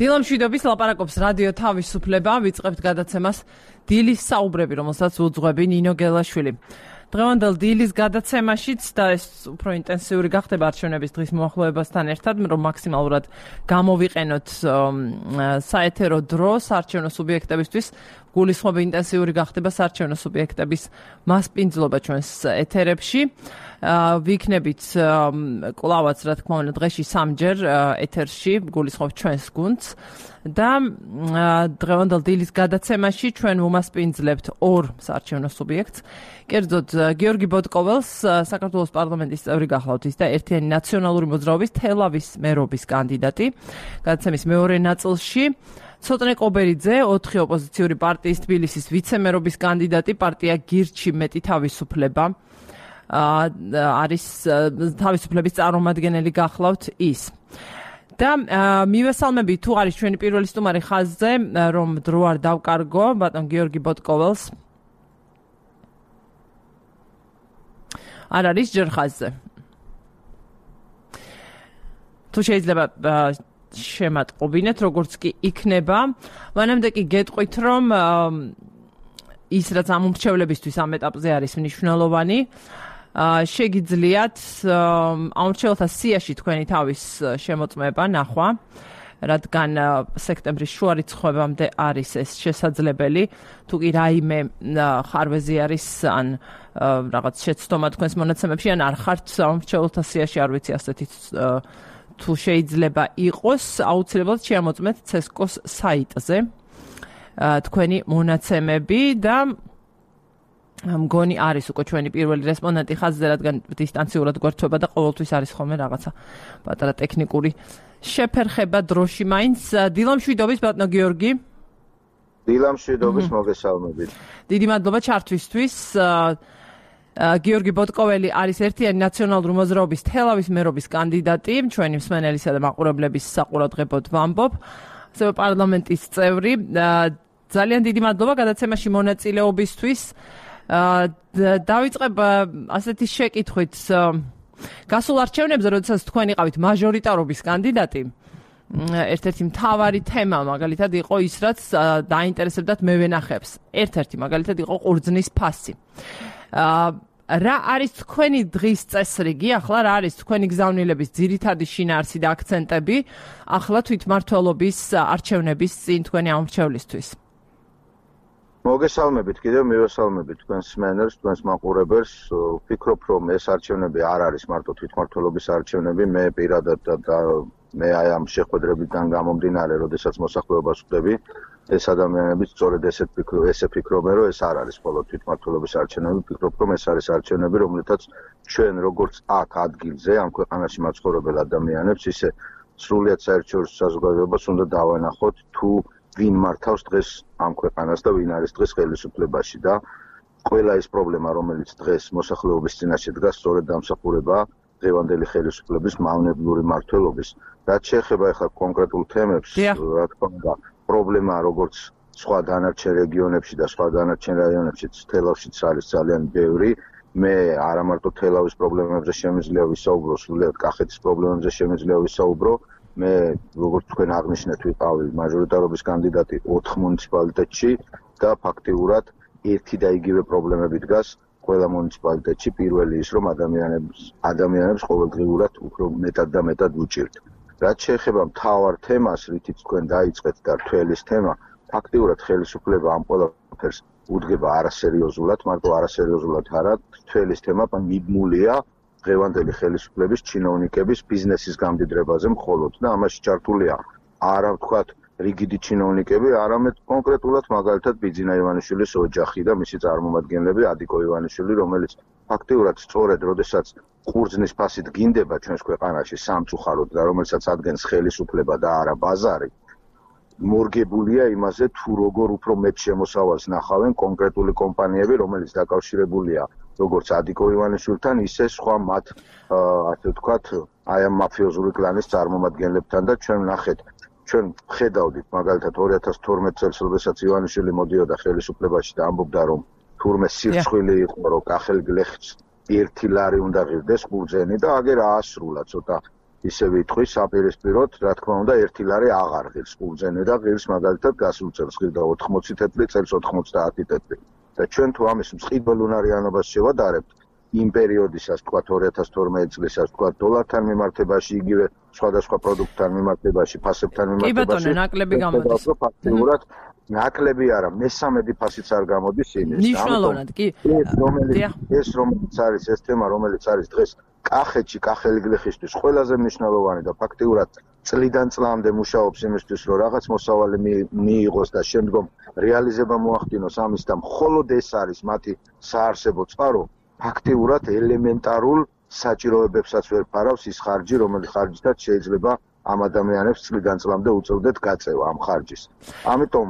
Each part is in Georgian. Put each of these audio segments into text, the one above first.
დილამ შვიდობის ლაპარაკობს რადიო თავისუფლება, ვიწყებთ გადაცემას დილის საუბრები, რომელსაც უძღვები ნინო გელაშვილი. დღევანდელ დილის გადაცემაშიც და ეს უფრო ინტენსიური გახდება არჩევნების დღის მოახლოებასთან ერთად, რომ მაქსიმალურად გამოვიყენოთ საეთერო დრო საარჩევნო სუბიექტებისთვის. გულისხმობა ინტენსიური გახდება საარჩევნო სუბიექტების მასპინძლობა ჩვენს ეთერებში. ვიქნებით კვლავაც, რა თქმა უნდა, დღეში სამჯერ ეთერში გულისხმობ ჩვენს გუნდს და დღევანდელ დილის გადაცემაში ჩვენ ვუმასპინძლებთ ორ საარჩევნო სუბიექტს. კერძოდ გიორგი ბოტკოველს, საქართველოს პარლამენტის წევრი გახლავთ ის და ერთიანი ნაციონალური მოძრაობის თელავის მერობის კანდიდატი. გადაცემის მეორე ნაწილში ცოტნე ყობერიძე, 4 ოპოზიციური პარტიის თბილისის ვიცემერობის კანდიდატი, პარტია გირჩი მეტი თავისუფლება. არის თავისუფლების წარმომადგენელი გახლავთ ის. და მივესალმები თუ არის ჩვენი პირველი სტუმარი ხაზზე, რომ დრო არ დავკარგო, ბატონ გიორგი ბოტკოველს. არ არის ჯერ ხაზზე. თუ შეიძლება შემატყობინეთ, როგორც კი იქნება. მანამდე კი გეტყვით, რომ ის რაც ამ უმრჩევლებისთვის ამ ეტაპზე არის მნიშვნელოვანი, შეგიძლიათ ამრჩეველთა სიაში თქვენი თავის შემოწმება ნახვა, რადგან სექტემბრის შუა რიცხვებამდე არის ეს შესაძლებელი. თუ კი რაიმე ხარვეზი არის ან რაღაც შეცდომა თქვენს მონაცემებში, ან არ ხართ ამრჩეველთა სიაში, არ ვიცი ასეთი თუ შეიძლება იყოს, აუცილებლად შეამოწმეთ CESCO-s საიტზე თქვენი მონაცემები და მგონი არის უკვე ჩვენი პირველი რესპონდენტი ხაზზე, რადგან დისტანციურად გვერდება და ყოველთვის არის ხოლმე რაღაცა პატარა ტექნიკური შეფერხება დროში მაინც. დილამ შვიდობის ბატონო გიორგი. დილამ შვიდობის, მოგესალმებით. დიდი მადლობა ჩართვისთვის. გიორგი ბოტკოველი არის ერთიანი ნაციონალური მოძრაობის თელავის მერობის კანდიდატი, ჩვენი მსმენელისა და მაყურებლების საყურადღებოდ ვამბობ, ასევე პარლამენტის წევრი. ძალიან დიდი მადლობა გადაცემაში მონაწილეობისთვის. დავიწყებ ასეთი შეკითხვით. გასულ არჩევნებზე, როდესაც თქვენ იყავით მაჟორიტარობის კანდიდატი, ერთ-ერთი მთავარი თემა მაგალითად იყო ის, რაც დაინტერესებდათ მევენახეებს. ერთ-ერთი მაგალითად იყო ყურძნის ფასი. რა არის თქვენი დღის წესრიგი, ახლა რა არის თქვენი გზავნილების ძირითადი შინაარსი და აქცენტები ახლა თვითმმართველობის არჩევნების წინ თქვენი ამრჩევლისთვის? მოგესალმებით, კიდევ მივესალმებით თქვენს მსმენელს, თქვენს მაყურებელს. ვფიქრობ, რომ ეს არჩევნები არ არის მარტო თვითმმართველობის არჩევნები, მე პირადად და მე აი ამ შეხვედრებიდან გამომდინარე, როდესაც მოსახლეობას ვხვდები, ეს ადამიანები სწორედ ესე ფიქრობენ, რომ ეს არ არის მხოლოდ თვითმმართველობის არჩევნები, ვფიქრობ, რომ ეს არის არჩევნები, რომლითაც ჩვენ როგორც აქ ადგილზე, ამ ქვეყანაში მაცხოვრებელ ადამიანებს, ისე სრულიად საერთაშორისო საზოგადოებას უნდა დავანახოთ, თუ ვინ მართავს დღეს ამ ქვეყანას და ვინ არის დღეს ხელისუფლებაში და ყველა ის პრობლემა, რომელიც დღეს მოსახლეობის წინაშე დგას, სწორედ დამსახურებაა დღევანდელი ხელისუფლების მავნებლური მმართველობის. რაც შეეხება ახლა კონკრეტულ თემებს, რა თქმა უნდა, პრობლემაა როგორც სხვა დანარჩენ რეგიონებში და სხვა დანარჩენ რაიონებშიც, თელავშიც არის ძალიან ბევრი. მე არა მარტო თელავის პრობლემებზე შემიძლია ვისაუბრო, სრულიად კახეთის პრობლემებზე შემიძლია ვისაუბრო. მე როგორც თქვენ აღნიშნეთ, ვიყავი მაჟორიტარობის კანდიდატი 4 მუნიციპალიტეტში და ფაქტიურად ერთი და იგივე პრობლემები დგას ყველა მუნიციპალიტეტში. პირველი ის, რომ ადამიანებს ყოველდღიურად უფრო მეტად და მეტად უჭირთ. რაც შეეხება მთავარ თემას, რითიც თქვენ დაიწყეთ და რთველის თემა, ფაქტიურად ხელისუფლება ამ ყველაფერს უდგება არასერიოზულად, მარტო არასერიოზულად არა, რთველის თემა მიბმულია დღევანდელი ხელისუფლების ჩინოვნიკების ბიზნესის გამდიდრებაზე მხოლოდ და ამაში ჩართულია არა ვთქვათ რიგიდი ჩინოვნიკები, არამედ კონკრეტულად მაგალითად ბიძინა ივანიშვილის ოჯახი და მისი წარმომადგენლები, ადიკო ივანიშვილი, რომელიც ფაქტიურად სწორედ როდესაც ყურძნის ფასი დგინდება ჩვენს ქვეყანაში სამწუხაროდ და რომელსაც ადგენს ხელისუფლება და არა ბაზარი, მორგებულია იმაზე თუ როგორ უფრო მეტ შემოსავალს ნახავენ კონკრეტული კომპანიები, რომელიც დაკავშირებულია როგორც ადიკო ივანიშვილთან, ისე სხვა მათ ასე ვთქვათ, აი ამ მაფიოზური კლანის წარმომადგენლებთან და ჩვენ ვნახეთ, ჩვენ ხედავდით მაგალითად 2012 წელს, როდესაც ივანიშვილი მოდიოდა ხელისუფლებაში და ამბობდა, რომ თურმე სირცხვილი იყო, რომ კახელ გლეხს 1 ლარი უნდა ღირდეს ყურძენი და აგერ აასრულა ცოტა ისე ვიტყვი საპირისპიროდ, რა თქმა უნდა, 1 ლარი აღარ ღირს ყურძენი და ღირს მაგალითად გასულ წელს ღირდა 80 თეთრი, წელს 90 თეთრი. და ჩვენ თუ ამის მწყიბელ უნარიანობას შევადარებთ, იმ პერიოდისას, თქვა 2012 წლისას, თქვა დოლართან მიმართებაში, იგივე სხვადასხვა პროდუქტთან მიმართებაში, ფასებთან მიმართებაში. კი ბატონო, ნაკლები გამოდის. ფაქტიურად ნაკლები არა, მესამედი ფასიც არ გამოდის იმის. ნიშნულოვნად, კი. ეს რომელიც არის ეს თემა, რომელიც არის დღეს კახეთში, კახელი გლეხისთვის ყველაზე მნიშვნელოვანი და ფაქტიურად წლიდან წლამდე მუშაობს იმისთვის, რომ რაღაც მოსავალი მიიღოს და შემდგომ რეალიზება მოახდინოს ამის და მხოლოდ ეს არის მათი საარსებო წყარო, ფაქტიურად ელემენტარულ საჭიროებებსაც ვერ ფარავს ის ხარჯი, რომელიც ხარჯითაც შეიძლება ამ ადამიანებს წლიდან წლამდე უწევდეთ გაწევა ამ ხარჯის. ამიტომ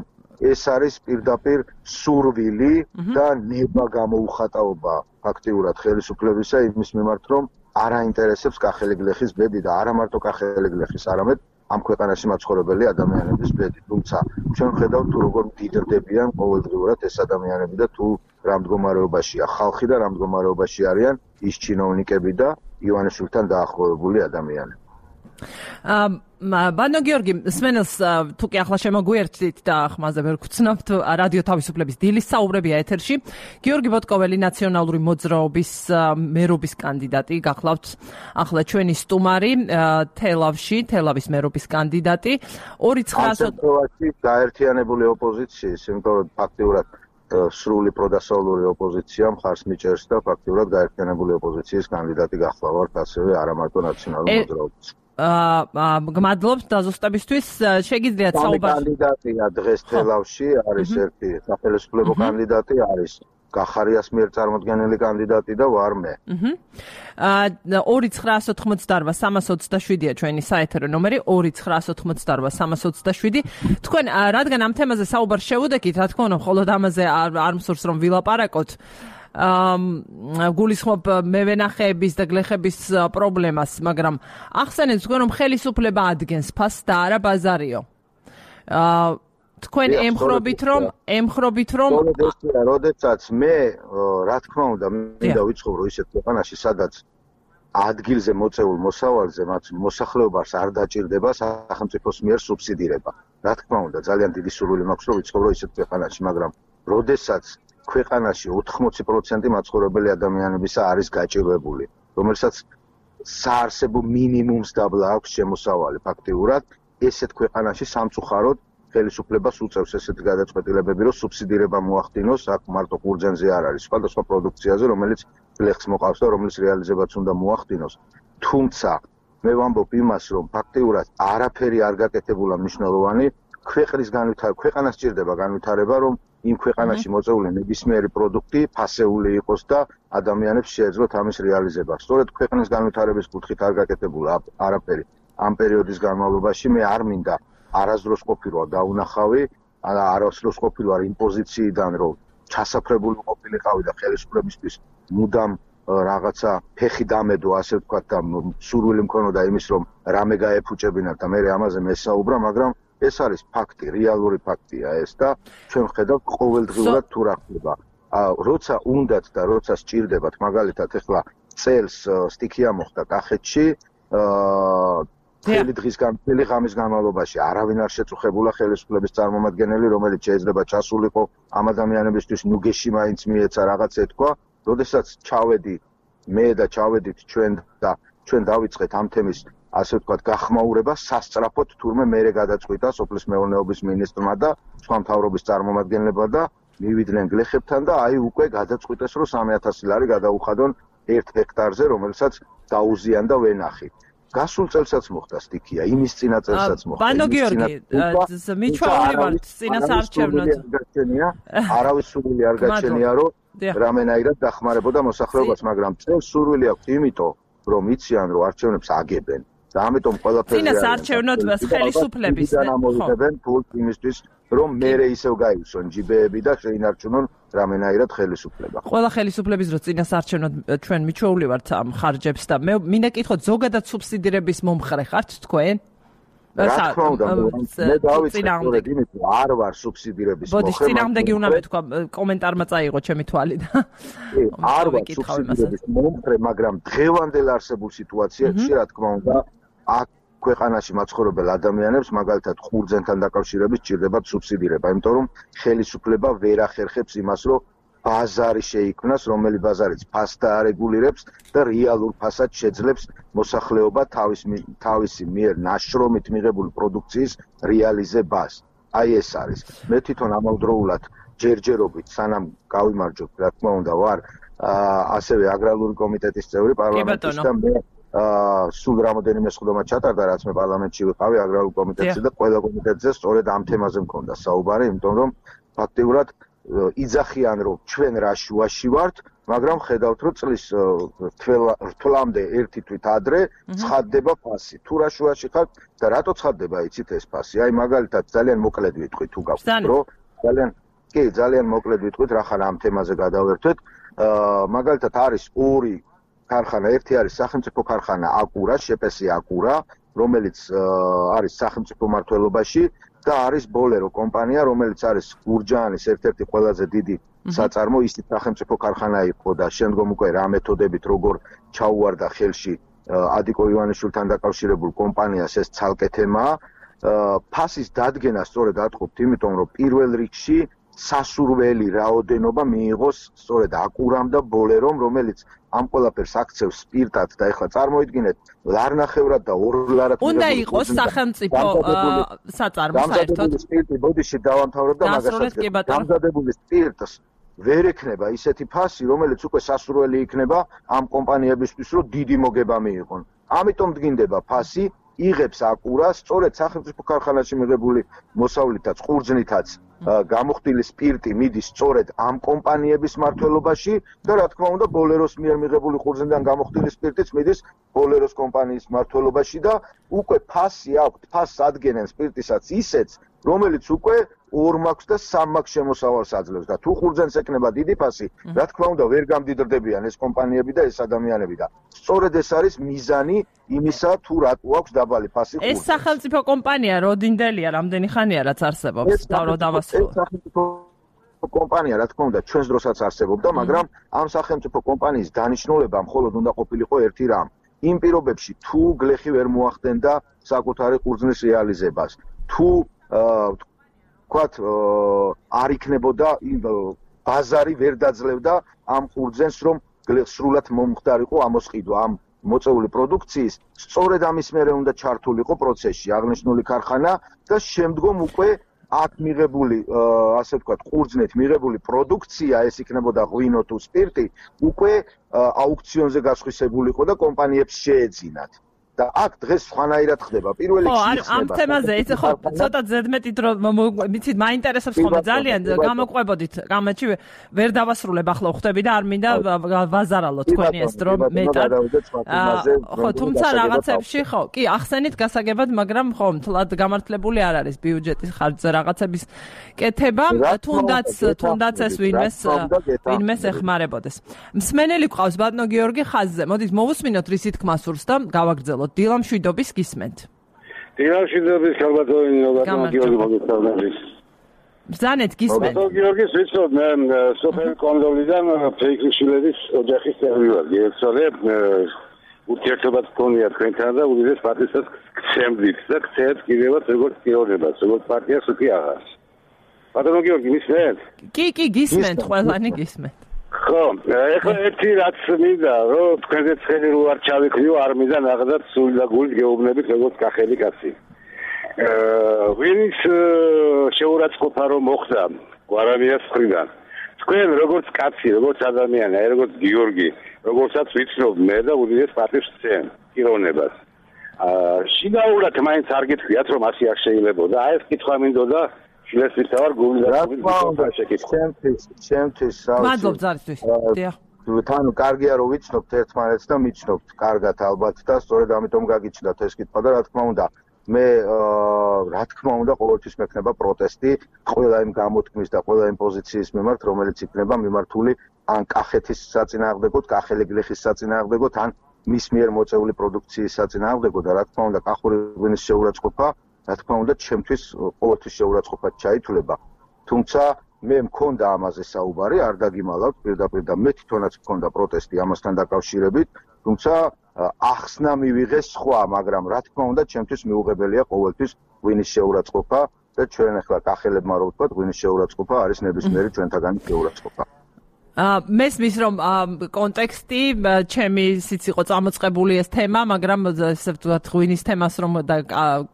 ეს არის პირდაპირ სურვილი და ნება გამოუხატაობა ფაქტიურად ხელისუფლებისა იმის მიმართ, რომ არ აინტერესებს კახელი გლეხის ბედი და არა მარტო კახელი გლეხის, არამედ ამ ქვეყანაში მაცხოვრებელი ადამიანების ბედი. თუმცა ჩვენ ხედავთ თუ როგორ მდიდრდებიან ყოველდღიურად ეს ადამიანები და თუ რა მდგომარეობაშია ხალხი და რა მდგომარეობაში არიან ის ჩინოვნიკები და ივანიშვილთან დაახლოებული ადამიანები. ბანო გიორგი, სმენელს თუ კი ახლა შემოგვიერთდით და ხმაზე ვერ გვცნობთ, რადიო თავისუფლების დილის საუბრებია ეთერში. გიორგი ბოტკოველი ნაციონალური მოძრაობის მერობის კანდიდატი, გახლავთ ახლა ჩვენი სტუმარი თელავის მერობის კანდიდატი. 2900 გაერთიანებული ოპოზიციის, იმიტომ რომ ფაქტიურად სრული პროდასავლური ოპოზიცია მხარს მიჭერს და ფაქტიურად გაერთიანებული ოპოზიციის კანდიდატი გახლავართ ასევე არა მარტო ნაციონალური მოძრაობის. გმადლობთ დაზუსტებისთვის. შეგიძლიათ საუბარი. კანდიდატია დღეს თელავში, არის ერთი სახელმწიფო კანდიდატი, არის კახარიას მიერ წარმოდგენილი კანდიდატი და ვარ მე. 2988-327-ია ჩვენი საეთერო ნომერი 2988-327. თქვენ რადგან ამ თემაზე საუბარს შევუდექით, რა თქმა უნდა, მხოლოდ ამაზე არ მსურს რომ ვილაპარაკოთ. გულისხმობ მევენახეების და გლეხების პრობლემას, მაგრამ ახსენეთ თქვენ რომ ხელისუფლება ადგენს ფასს და არა ბაზარიო. თქვენ ემხრობით რომ როდესაც მე რა თქმა უნდა მინდა ვიცხოვრო ისეთ ქვეყანაში, სადაც ადგილზე მოწეულ მოსავალზე მათ მოსახლეობას არ დაჭირდება სახელმწიფოს მიერ სუბსიდირება. რა თქმა უნდა, ძალიან დიდი სურვილი მაქვს რომ ვიცხოვრო ისეთ ქვეყანაში, მაგრამ როდესაც ქვეყანაში 80% მაცხოვრებელი ადამიანებისა არის გაჭირვებული, რომელსაც საარსებო მინიმუმს დაბლა აქვს შემოსავალი ფაქტიურად, ესეთ ქვეყანაში სამწუხაროდ ხელისუფლებას უწევს ესეთი გადაწყვეტილებები, რომ სუბსიდირება მოახდინოს, აქ მარტო ყურძენზე არ არის, სხვადასხვა პროდუქციაზე, რომელიც გლეხს მოყავს და რომლის რეალიზებაც უნდა მოახდინოს. თუმცა მე ვამბობ იმას, რომ ფაქტიურად არაფერი არ გაკეთებულა მნიშვნელოვანი, ქვეყანას სჭირდება განვითარება, რომ იმ ქვეყანაში მოწეული ნებისმიერი პროდუქტი ფასეული იყოს და ადამიანებს შეეძლოთ ამის რეალიზება. სწორედ ქვეყნის განვითარების კუთხით არ გაკეთებულა არაფერი. ამ პერიოდის განმავლობაში მე არ მინდა არასდროს ყოფილვარ დაუნახავი, არასდროს ყოფილვარ იმ პოზიციიდან, რომ ჩასაფრებული ყოფილიყავი და ხელისუფლებისთვის მუდამ რაღაცა ფეხი დამედო, ასე ვთქვათ, და სურვილი მქონოდა იმის, რომ რამე გაეფუჭებინათ და მე ამაზე მესაუბრა, მაგრამ ეს არის ფაქტი, რეალური ფაქტია ეს და ჩვენ ვხედავთ ყოველდღიურად თუ რა ხდება. როცა უნდათ და როცა სჭირდებათ, მაგალითად ახლა წელს სტიქია მოხდა კახეთში, მთელი ღამის განმავლობაში არავინ არ შეწუხებულა ხელისუფლების წარმომადგენელი, რომელიც შეიძლება ჩასულიყო ამ ადამიანებისთვის ნუგეში მაინც მიეცა რაღაც ეთქვა, როდესაც ჩავედი მე და ჩავედით ჩვენ და ჩვენ დავიწყეთ ამ თემის ასე ვთქვათ გახმაურება სასწრაფოდ თურმე მერე გადაწყვიტა სოფლის მეურნეობის მინისტრმა და სხვა მთავრობის წარმომადგენლებმა და მივიდნენ გლეხებთან და აი უკვე გადაწყვიტეს რომ 3000 ლარი გადაუხადონ 1 ჰექტარზე, რომელსაც დაუზიან და ვენახი. გასულ წელსაც მოხდა სტიქია, იმის წინა წელსაც მოხდა. ბანო გიორგი, მიჩვეული ვარ წინასაარჩევნოდ. არავის სურვილი არ გაჩენია, რომ რამენაირად დახმარებოდა მოსახლეობას, მაგრამ წელს სურვილი აქვს იმიტომ, რომ იციან, რომ არჩევნებს აგებენ. და ამიტომ ყველაფერი წინასაარჩევნოდ ხელისუფლების ამოვიდებენ ფულს იმისთვის, რომ მერე ისევ გაივსონ ჯიბეები და შეინარჩუნონ რამენაირად ხელისუფლება. ყველა ხელისუფლების რო წინასაარჩევნოდ ჩვენ მიჩვეული ვართ ამ ხარჯებს და მე მინდა კითხოთ, ზოგადად სუბსიდირების მომხრე ხართ თქვენ? რა თქმა უნდა, მე დავიწყე იმით, რომ არ ვარ სუბსიდირების მომხრე. ბოდიშ, წინააღმდეგი უნდა მეთქვა, კომენტარმა წაიღო ჩემი თვალი და არ ვარ სუბსიდირების მომხრე, მაგრამ დღევანდელ არსებულ სიტუაციაში, რა თქმა უნდა, აქ ქვეყანაში მაცხოვრებელ ადამიანებს მაგალითად ხურძენთან დაკავშირებით სჭირდებათ სუბსიდირება, იმიტომ რომ ხელისუფლება ვერ ახერხებს იმას, რომ ბაზარი შეიქმნას, რომელიც ბაზარიც ფასს დაარეგულირებს და რეალურ ფასად შეძლებს მოსახლეობა თავისი მიერ ნაშრომით მიღებული პროდუქციის რეალიზებას. Აი ეს არის. მე თვითონ ამავდროულად ჯერჯერობით სანამ გავიმარჯვებ, რა თქმა უნდა, ვარ ასევე აგრარული კომიტეტის წევრი პარლამენტის და მე სულ რამოდენიმე სხდომა ჩატარდა, რაც მე პარლამენტში ვიყავი აგრარულ კომიტეტზე და ყველა კომიტეტზე სწორედ ამ თემაზე მქონდა საუბარი, იმიტომ რომ ფაქტიურად იძახიან რომ ჩვენ რა შუაში ვართ, მაგრამ ხედავთ რომ წლის რთვლამდე ერთი თვით ადრე ცხადდება ფასი. თუ რა შუაში ხართ და რატო ცხადდება იცით ეს ფასი? აი მაგალითად ძალიან მოკლედ ვიტყვი თუ გაგვიწყო რომ ძალიან მოკლედ ვიტყვით რა ხარ ამ თემაზე გადავერთვეთ. მაგალითად არის ორი ქარხანა, ერთი არის სახელმწიფო ქარხანა აკურა, შეპესი აკურა, რომელიც არის სახელმწიფო მმართველობაში და არის ბოლერო კომპანია, რომელიც არის გურჯაანის ერთ-ერთი ყველაზე დიდი საწარმო, ისიც სახელმწიფო ქარხანა იყო და შემდგომ უკვე რა მეთოდებით როგორ ჩაუვარდა ხელში ადიკო ივანიშვილთან დაკავშირებულ კომპანიას ეს ცალკე თემაა. ფასის დადგენა სწორედ ატყობთ, იმიტომ რომ პირველ რიგში სასურველი რაოდენობა მიიღოს სწორედ აკურამ და ბოლერომ, რომელიც ამ ყველაფერს აქცევს სპირტად და ეხლა წარმოიდგინეთ ლარნახევრად და ორლარად უნდა იყოს სახელმწიფო საწარმო საერთოდ. სპირტი ბოდიში დავამთავრებ და მაგასაც დამზადებული სპირტს ვერ ექნება ისეთი ფასი, რომელიც უკვე სასურველი იქნება ამ კომპანიებისთვის, რომ დიდი მოგება მიიღონ. ამიტომ დგინდება ფასი, იღებს აკურა, სწორედ სახელმწიფო ქარხანაში მიღებული მოსავლითაც, ყურძნითაც გამოხდილი სპირტი მიდის სწორედ ამ კომპანიების მმართველობაში და რა თქმა უნდა ბოლეროს მიერ მიღებული ყურძნიდან გამოხდილი სპირტიც მიდის ბოლეროს კომპანიის მმართველობაში და უკვე ფასი აქვთ, ფასს ადგენენ სპირტისაც ისეც, რომელიც უკვე 2 მაქვს და 3 მაქვს შემოსავალს აძლევს და თუ ყურძენს ეკნება დიდი ფასი, რა თქმა უნდა ვერ გამდიდრდებიან ეს კომპანიები და ეს ადამიანები და სწორედ ეს არის მიზანი იმისა თუ რატო აქვს დაბალი ფასი ყურძენს. ეს სახელმწიფო კომპანია როდინდელია, რამდენი ხანია რაც არსებობს და რო დავასრულო. ეს სახელმწიფო კომპანია რა თქმა უნდა ჩვენს დროსაც არსებობდა, მაგრამ ამ სახელმწიფო კომპანიის დანიშნულება მხოლოდ უნდა ყოფილიყო ერთი რამ. იმ პირობებში თუ გლეხი ვერ მოახდენდა საკუთარი ყურძნის რეალიზებას, თუ ვთქვათ არ იქნებოდა ბაზარი ვერ დაძლევდა ამ ყურძენს, რომ სრულად მომხდარიყო ამოსყიდვა ამ მოწეული პროდუქციის, სწორედ ამის მერე უნდა ჩართულიყო პროცესში აღნიშნული ქარხანა და შემდგომ უკვე აქ მიღებული, ასე ვთქვათ, ყურძნით მიღებული პროდუქცია, ეს იქნებოდა ღვინო თუ სპირტი, უკვე აუქციონზე გასხვისებულიყო და კომპანიებს შეეძინათ. და აქ დღეს სხვანაირად ხდება. პირველ რიგში ამ თემაზე ეს ხო ცოტა ზედმეტი დრო მიცით მაინტერესებს ხოლმე ძალიან გამოყვებოდით გამაჩი ვერ დავასრულებ ახლა ხვდები და არ მინდა ვაზარალო თქვენი ეს დრო მეტად. ხო თუმცა რაღაცებში ხო კი ახსენით გასაგებად, მაგრამ ხო მთლად გამართლებული არ არის ბიუჯეტის ხარჯზე რაღაცების კეთება, თუნდაც ეს ვინმეს ეხმარებოდეს. მსმენელი ყავს ბატონო გიორგი ხაზზე. მოდით მოვუსმინოთ რისი თქმა სურს და გავაგრძელოთ. დილამშვიდობის გისმენთ. დილამშვიდობის ქალბატონი გიორგი მოგესალმებით. ბრძანეთ გისმენთ. ბატონო გიორგის ვიცოდ მე სოფელ კონდოლიდან ფეიქრიშვილების ოჯახის წევრი ვარ. გიორგი ურთიერთობა გქონია თქვენთან და უდიდეს პარტიას გცემდით და გცემთ კიდევაც როგორც პიროვნებას, როგორც პარტიას უკვე აღარ. ბატონო გიორგი მისმენთ? კი, გისმენთ, ყველანი გისმენთ. ხო, ეხლა ერთი რაც მინდა, რომ თქვენზე ცხელი რო არ ჩავიქრიო, არ მინდა ნახდათ სული და გულით გეუბნებით როგორც კახელი კაცი. ვინის შეურაცხყოფა რომ მოხდა გვარამიას მხრიდან. თქვენ როგორც კაცი, როგორც ადამიანი, როგორც გიორგი, როგორცაც ვიცნობ მე და უდიდეს პარტიის წევრი პიროვნებას. შინაურად მაინც არ გითხრიათ რომ ასე არ შეიძლებოდა. აი ეს კითხვა მინდოდა შილესით ვარ გული და ჩემთვის მადლობ ზარისთვის. დიახ. თან კარგია რომ ვიცნობთ ერთმანეთს და მიჩნობთ კარგად ალბათ და სწორედ ამიტომ გაგიჩნდათ ეს კითხვა და რა თქმა უნდა მე ყოველთვის მექნება პროტესტი ყველა იმ გამოთქმის და ყველა იმ პოზიციის მიმართ, რომელიც იქნება მიმართული ან კახეთის საწინააღმდეგოდ, კახელი გლეხის საწინააღმდეგოდ, ან მის მიერ მოწეული პროდუქციის საწინააღმდეგოდ და რა თქმა უნდა კახური ღვინის შეურაცხყოფა რა თქმა უნდა ჩემთვის ყოველთვის შეურაცხყოფად ჩაითვლება. თუმცა მე მქონდა ამაზე საუბარი, არ დაგიმალავთ პირდაპირ და მე თვითონაც მქონდა პროტესტი ამასთან დაკავშირებით, თუმცა ახსნა მივიღეს სხვა, მაგრამ რა თქმა უნდა, ჩემთვის მიუღებელია ყოველთვის ღვინის შეურაცხყოფა და ჩვენ ახლა კახელებმა რო ვთქვათ, ღვინის შეურაცხყოფა არის ნებისმიერი ჩვენთაგანი შეურაცხყოფა. მესმის რომ კონტექსტი ჩემი სიც იყო წამოწყებული ეს თემა, მაგრამ ესე ვთქვათ ღვინის თემას რომ და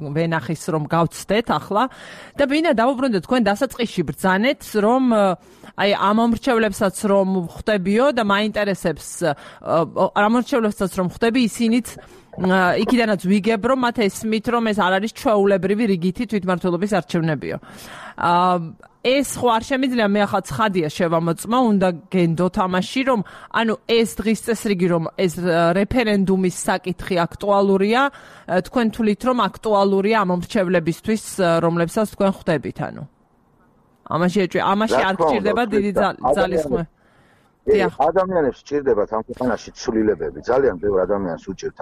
ვენახის რომ გავცდეთ ახლა და ვინა დავუბრუნდეთ თქვენ დასაწყისში ბრძანეთ რომ აი ამ მომრჩევლებსაც რომ ხვდებიო და მაინტერესებს ამ მომრჩევლებსაც რომ ხვდები ისინიც იქიდანაც ვიგებ რომ მათ ესმით რომ ეს არ არის ჩვეულებრივი რიგითი თვითმმართველობის არჩევნებიო. ეს ხო არ შემიძლია მე ახლა ცხადია შევამოწმო, უნდა გენდოთ ამაში რომ ანუ ეს დღის წესრიგი რომ ეს რეფერენდუმის საკითხი აქტუალურია, თქვენ თვლით რომ აქტუალურია ამ მომრჩევლებისთვის, რომლებსაც თქვენ ხვდებით ანუ. ამაში არ გჭირდება დიდი ძალისხმე. ადამიანებს სჭირდებათ ამ ქვეყანაში ცვლილებები, ძალიან ბევრ ადამიანს უჭირთ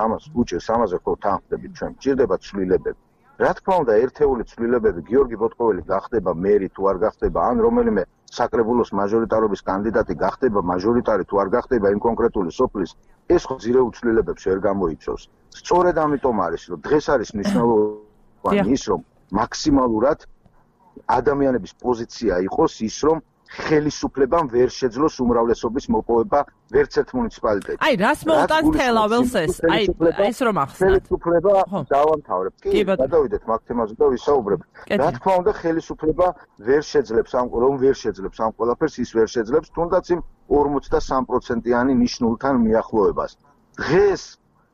ამაზე ხო თან ხვდებით ჩვენ, სჭირდებათ ცვლილებები. რა თქმა უნდა, ერთეული ცვლილებები, გიორგი ბოტყოველი გახდება მერი თუ არ გახდება, ან რომელიმე საკრებულოს მაჟორიტარობის კანდიდატი გახდება მაჟორიტარი თუ არ გახდება იმ კონკრეტული სოფლის, ეს ხო ძირეულ ცვლილებებს ვერ გამოიწვევს. სწორედ ამიტომ არის, რომ დღეს არის მნიშვნელოვანი ის, რომ მაქსიმალურად ადამიანების პოზიცია იყოს ის, რომ ხელისუფლებამ ვერ შეძლოს უმრავლესობის მოპოვება ვერც ერთ მუნიციპალიტეტში. აი, რას მოუტანს თელაველს ეს? აი, ეს რომ ახსნათ. ხელისუფლება დავამთავრებ. კი, გადავიდეთ მაგ თემაზე და ვისაუბრებ. რა თქმა უნდა, ხელისუფლება ვერ შეძლებს ამ ყველაფერს, ის ვერ შეძლებს თუნდაც იმ 43%-იანი ნიშნულთან მიახლოებას. დღეს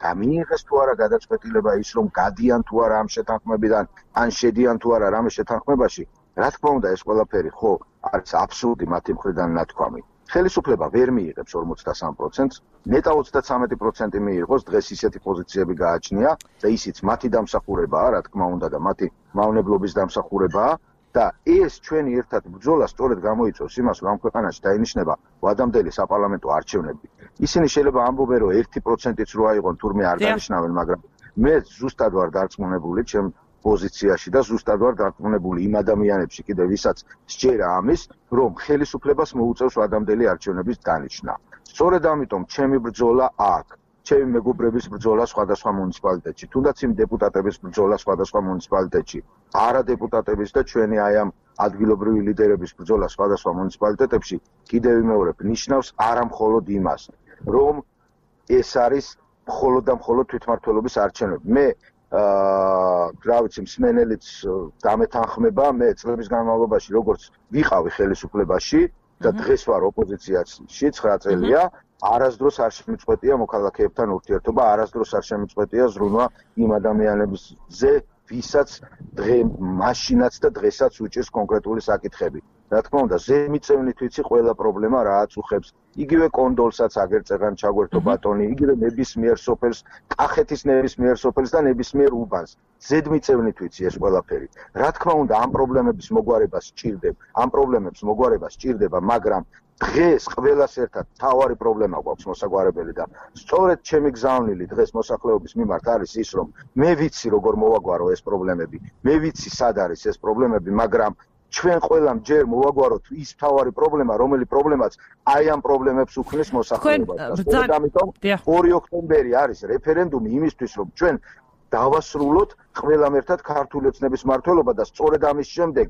გამიიღეს თუ არა გადაწყვეტილება ის, რომ გადიან თუ არა ამ შეთანხმებიდან, ან შედიან თუ არა რამე შეთანხმებაში. რა თქმა უნდა, ეს ყველაფერი ხო არის აბსურდი მათი მხრიდან ნათქვამი. ხელისუფლება ვერ მიიღებს 43%-ს, ნეტა 33% მიიღოს, დღეს ისეთი პოზიციები გააჩნია და ისიც მათი დამსახურებაა, რა თქმა უნდა და მათი მავნებლობის დამსახურებაა და ეს ჩვენი ერთად ბრძოლა სწორედ გამოიწვევს იმას, რომ ამ ქვეყანაში დაინიშნება ვადამდელი საპარლამენტო არჩევნები. ისინი შეიძლება ამბობენ, რომ 1%-იც რო აიღონ, თურმე არ დანიშნავენ, მაგრამ მე ზუსტად ვარ დარწმუნებული ჩემ პოზიციაში და ზუსტად ვარ დარწმუნებული იმ ადამიანებში კიდევ ვისაც სჯერა ამის, რომ ხელისუფლებას მოუწევს ვადამდელი არჩევნების დანიშნა. სწორედ ამიტომ ჩემი ბრძოლა აქ, ჩემი მეგობრების ბრძოლა სხვადასხვა მუნიციპალიტეტში, თუნდაც იმ დეპუტატების ბრძოლა სხვადასხვა მუნიციპალიტეტში, არა დეპუტატების და ჩვენი აი ამ ადგილობრივი ლიდერების ბრძოლა სხვადასხვა მუნიციპალიტეტებში, კიდევ ვიმეორებ, ნიშნავს არა მხოლოდ იმას, რომ ეს არის მხოლოდ და მხოლოდ თვითმმართველობის არჩევნები. მე რა ვიცი, მსმენელიც დამეთანხმება, მე წლების განმავლობაში როგორც ვიყავი ხელისუფლებაში და დღეს ვარ ოპოზიციაში 9 წელია, არასდროს არ შემიწყვეტია მოქალაქეებთან ურთიერთობა, არასდროს არ შემიწყვეტია ზრუნვა იმ ადამიანებზე, ვისაც მაშინაც და დღესაც უჭირს კონკრეტული საკითხები. რა თქმა უნდა, ზემიწევნით ვიცი ყველა პრობლემა რაც უხებს. იგივე კონდოლსაც აგერწეღან ჩაგვერთო ბატონი, იგივე ნებისმიერ სოფელს, კახეთის ნებისმიერ სოფელს და ნებისმიერ უბანს. ზედმიწევნით ვიცი ეს ყველაფერი. რა თქმა უნდა, ამ პრობლემების მოგვარება სჭირდება, მაგრამ დღეს ყველას ერთად თავარი პრობლემა გვაქვს მოსაგვარებელი და სწორედ ჩემი გზავნილი დღეს მოსახლეობის მიმართ არის ის, რომ მე ვიცი როგორ მოვაგვარო ეს პრობლემები, მე ვიცი სად არის ეს პრობლემები, მაგრამ ჩვენ ყველამ ჯერ მოვაგვაროთ ის თავარი პრობლემა, რომელი პრობლემაც აი ამ პრობლემებს უქმნის მოსახლეობას. და ამიტომ 2 ოქტომბერი არის რეფერენდუმი იმისთვის, რომ ჩვენ დავასრულოთ ყველამ ერთად ქართული ოცნების მმართველობა და სწორედ ამის შემდეგ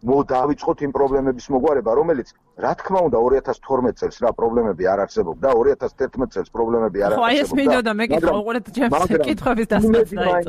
დავიწყოთ იმ პრობლემების მოგვარება, რომელიც რა თქმა უნდა 2012 წელს რა პრობლემები არ არსებობდა, 2011 წელს პრობლემები არ არსებობდა. ხო, ეს მინდოდა მეკითხა უყურეთ ჩემს კითხვების დასმასთან.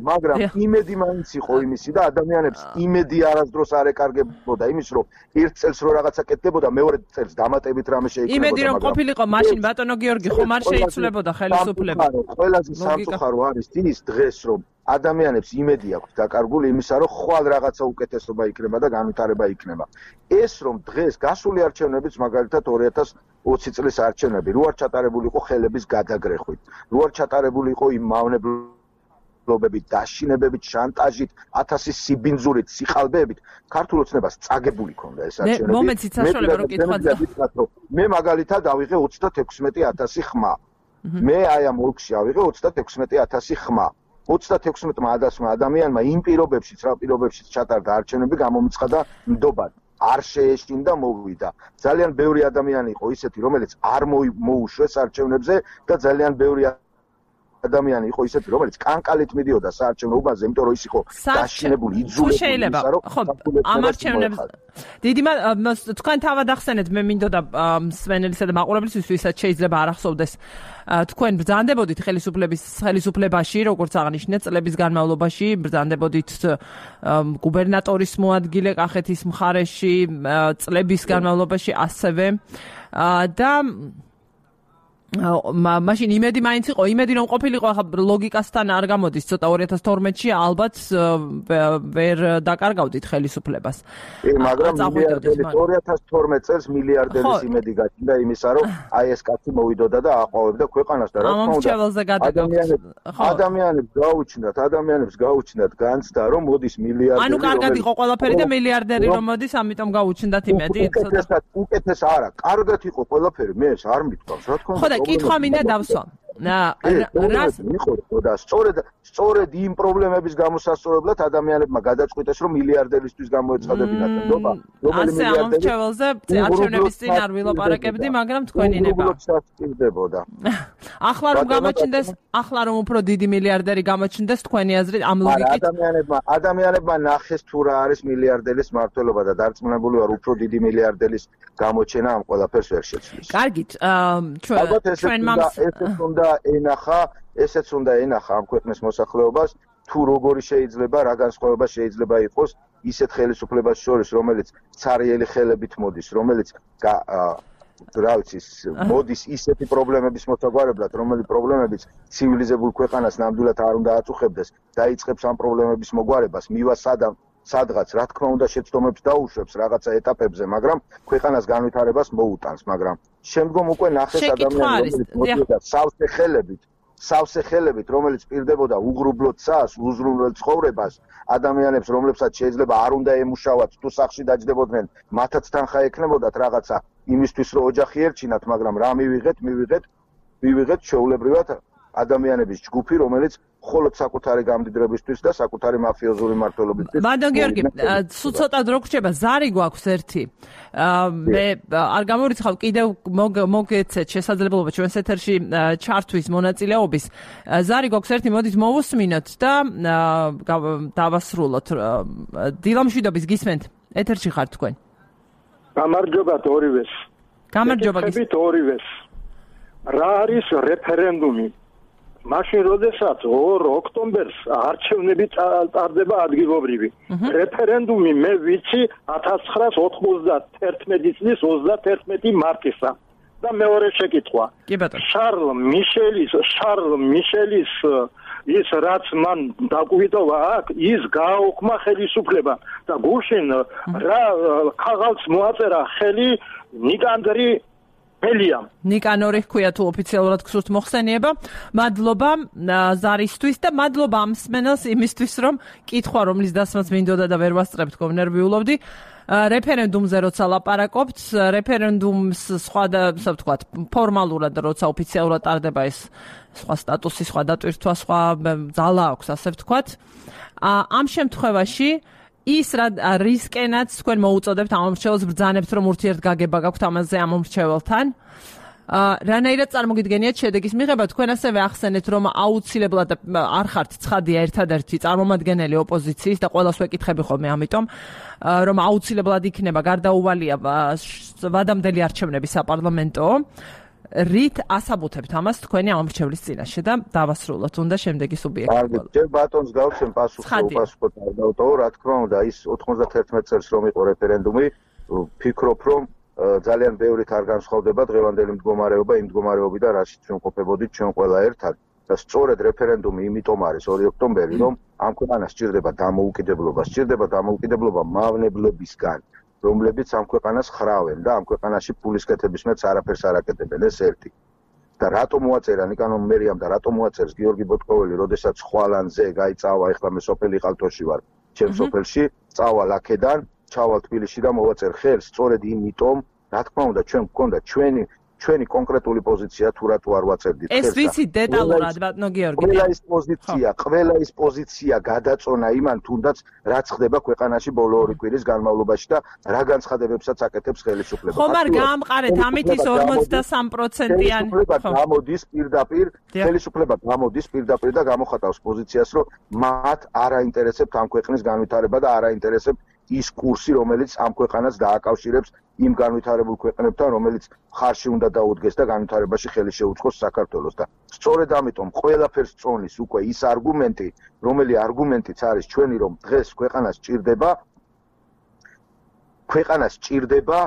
მაგრამ იმედი მაინც იყო იმისი და ადამიანებს იმედი არასდროს არ ეკარგებოდა იმის, რომ ერთ წელს რო რაღაცა კეთდებოდა, მეორე წელს დამატებით რამე შეიკრებოდა. იმედი რომ ყოფილიყო მაშინ ბატონო გიორგი ხომ არ შეიცვლებოდა ხელისუფლება. ყველაზე სამწუხარო არის ის დღეს, რომ ადამიანებს იმედი აქვს დაკარგული იმისა, რომ ხვალ რაღაცა უკეთესობა იქნება და განვითარება იქნება. ეს რომ დღეს გასული არჩევნებიც მაგალითად 2020 წლის არჩევნები რო არ ჩატარებული იყო ხელების გადაგრეხვით, რო არ ჩატარებული იყო იმ მავნებლობებით, დაშინებებით, შანტაჟით, 1000 სიბინძურით, სიხალბეებით, ქართულ ოცნებას წაგებული ქონდა ეს არჩევნები. მომენტიც საშუალება რომ კითხვაზე. მე მაგალითად ავიღე 36000 ხმა. მე აი ამ ოლქში ავიღე 36000 ხმა. 36-მა ადასმა ადამიანმა იმ პირობებშიც, რა პირობებშიც ჩატარდა არჩევნები, გამომიცხადა ნდობად. არ შეეშინდა მოვიდა. ძალიან ბევრი ადამიანი იყო ისეთი, რომელიც არ მოუშვეს არჩევნებზე და ძალიან ბევრი ადამიანი იყო ისეთი, რომელიც კანკალით მიდიოდა საარჩევნო უბანზე, იმიტომ რომ ის იყო დაშინებული, იძულებული. შეიძლება. ხო, ამ არჩევნებს დიდი თქვენ თავად ახსენეთ, მე მინდოდა მსმენელისა და მაყურებლისთვის, ვისაც შეიძლება არ ახსოვდეს, თქვენ ბრძანდებოდით ხელისუფლებაში, როგორც აღნიშნეთ, წლების განმავლობაში ბრძანდებოდით გუბერნატორის მოადგილე კახეთის მხარეში, წლების განმავლობაში ასევე და მაშინ იმედი მაინც იყო, იმედი რომ ყოფილიყო, ახლა ლოგიკასთან არ გამოდის, ცოტა 2012-ში ალბათ ვერ დაკარგავდით ხელისუფლებას. მაგრამ 2012 წელს მილიარდერის იმედი გაჩნდა იმისა, რომ აი ეს კაცი მოვიდოდა და აყვავებდა ქვეყანას და რა თქმა უნდა ადამიანებს გაუჩნდათ განცდა, რომ მოდის მილიარდერი. ანუ კარგად იყო ყველაფერი და მილიარდერი რომ მოდის, ამიტომ გაუჩნდათ იმედი. უკეთეს არა, კარგად იყო ყველაფერი, მე ეს არ მithქვავს, რა თქმა უნდა. კითხვა მინდა დავსვა. რას და სწორედ იმ პრობლემების გამოსასწორებლად ადამიანებმა გადაწყვიტეს, რომ მილიარდერისთვის გამოეცხადებინათ ნდობა, რომელი მილიარდერი ამორჩეველზე არჩევნების წინ არ ვილაპარაკებდი, მაგრამ თქვენი ნება. ახლა რომ უფრო დიდი მილიარდერი გამოჩნდეს, თქვენი აზრით ამ ლოგიკით ადამიანებმა ნახეს თუ რა არის მილიარდერის მმართველობა და დარწმუნებული ვარ, უფრო დიდი მილიარდერის გამოჩენა ამ ყველაფერს ვერ შეცვლის. კარგით, ესეც უნდა ენახა ამ ქვეყნის მოსახლეობას, თუ როგორი შეიძლება, რა განსხვავება შეიძლება იყოს ისეთ ხელისუფლებას შორის, რომელიც ცარიელი ხელებით მოდის, რომელიც რა ვიცი, მოდის ისეთი პრობლემების მოსაგვარებლად, რომელი პრობლემებიც ცივილიზებულ ქვეყანას ნამდვილად არ უნდა აწუხებდეს, დაიწყებს ამ პრობლემების მოგვარებას, მივა სადღაც, რა თქმა უნდა, შეცდომებს დაუშვებს რაღაცა ეტაპებზე, მაგრამ ქვეყანას განვითარებას მოუტანს, მაგრამ შემდგომ უკვე ნახეს ადამიანები, რომელიც მოდიოდა სავსე ხელებით, რომელიც პირდებოდა უღრუბლო ცას, უზრუნველ ცხოვრებას, ადამიანებს, რომლებსაც შეიძლება არ უნდა ემუშავათ, თუ სახლში დაჯდებოდნენ, მათაც თანხა ექნებოდათ რაღაცა იმისთვის, რომ ოჯახი ერჩინათ, მაგრამ რა მივიღეთ ჩვეულებრივად ადამიანების ჯგუფი, რომელიც მხოლოდ საკუთარი გამდიდრებისთვის და საკუთარი მაფიოზური მმართველობისთვის. მადლ გიორგი, სულ ცოტა დრო გრჩება, ზარი გვაქვს ერთი. მე არ გამორიცხავ კიდევ მოგეცეთ შესაძლებლობა ჩვენს ეთერში ჩართვის მონაწილეობის. ზარი გვაქვს ერთი, მოდით მოვუსმინოთ და დავასრულოთ. დილამშვიდობის გისმენთ. ეთერში ხართ თქვენ. გამარჯობათ ორივეს. გამარჯობა ორივეს. რა არის რეფერენდუმი? მაშინ როდესაც 2 ოქტომბერს არჩევნები ტარდება ადგილობრივი. რეფერენდუმი მე ვიცი 1991 წლის 31 მარტისა. და მეორე შეკითხვა. შარლ მიშელის ის რაც მან დაგვიტოვა აქ, ის გააუქმა ხელისუფლება და გუშინ რა ქაღალდს მოაწერა ხელი ნიკანდრი ნიკანორი ჰქვია თუ ოფიციალურად გსურთ მოხსენიება. მადლობა ზარისთვის და მადლობა ამ მსმენელს იმისთვის, რომ კითხვა, რომლის დასმაც მინდოდა და ვერ ვასწრებთ, ნერვიულობდი. რეფერენდუმზე როცა ლაპარაკობთ, რეფერენდუმს სხვა და ასე ვთქვათ, ფორმალურად როცა ოფიციალურად ტარდება ეს სხვა სტატუსი, სხვა დატვირთვა, სხვა ძალა აქვს, ასე ვთქვათ. ამ შემთხვევაში ის რისკენაც თქვენ მოუწოდებთ ამ მომრჩეველს, ბრძანებთ, რომ ურთიერთგაგება გაქვთ ამაზე ამ მომრჩეველთან. რანაირად წარმოგიდგენიათ შედეგის მიღება, თქვენ ასევე ახსენეთ, რომ აუცილებლად არ ხართ ცხადია ერთადერთი წარმომადგენელი ოპოზიციის და ყველას ვეკითხები ხოლმე ამიტომ, რომ აუცილებლად იქნება გარდაუვალია ვადამდელი არჩევნები საპარლამენტო. რით ასაბუთებთ ამას თქვენი ამომრჩევლის წინაშე და დავასრულოთ უნდა შემდეგი სუბიექტი. ჯერ ბატონს გავცემ პასუხობ რა თქმა უნდა ის 91 წელს რომ იყო რეფერენდუმი, ვფიქრობ რომ ძალიან ბევრით არ განსხვავდება დღევანდელი მდგომარეობა იმ მდგომარეობიდან რაშიც ჩვენ ყოფებოდით ჩვენ ყველა ერთად და სწორედ რეფერენდუმი იმიტომ არის 2 ოქტომბერი რომ ამ ქვეყანას სჭირდება დამოუკიდებლობა მავნებლებისგან, რომლებიც ამ ქვეყანას ხრავენ და ამ ქვეყანაში ფულის კეთების მეც არაფერს არ აკეთებენ, ეს ერთი. და რატომ მოაწერა ნიკანორ მერიამ და რატომ მოაწერს გიორგი ბოტკოველი, როდესაც ხვალანზე გაიწავა, ეხლა მე სოფელი ყალთოში ვარ, ჩემ სოფელში, წავალ აქედან, ჩავალ თბილისში და მოვაწერ ხელს, სწორედ იმიტომ, რა თქმა უნდა, ჩვენ გვქონდა ჩვენი კონკრეტული პოზიცია თუ რატო არ ვაწერდით ეს ვიცი დეტალურად ბატონო გიორგი ყველა ის პოზიცია გადაწონა იმან თუნდაც რაც ხდება ქვეყანაში ბოლო 2 კვირის განმავლობაში და რა განცხადებებსაც აკეთებს ხელისუფლება ხომ არ გაამყარეთ ამით ის 43%-იანი ხელისუფლება გამოდის პირდაპირ და გამოხატავს პოზიციას რომ მათ არ აინტერესებთ ამ ქვეყნის განვითარება და არ აინტერესებთ ის კურსი რომელიც ამ ქვეყანას დააკავშირებს იმ განვითარებულ ქვეყნებთან რომელიც ხარში უნდა დაუდგეს და განვითარებაში ხელი შეუწყოს საქართველოს და სწორედ ამიტომ ყველაფერს წონის უკვე ის არგუმენტი რომელი არგუმენტიც არის ჩვენი რომ დღეს ქვეყანას ჭირდება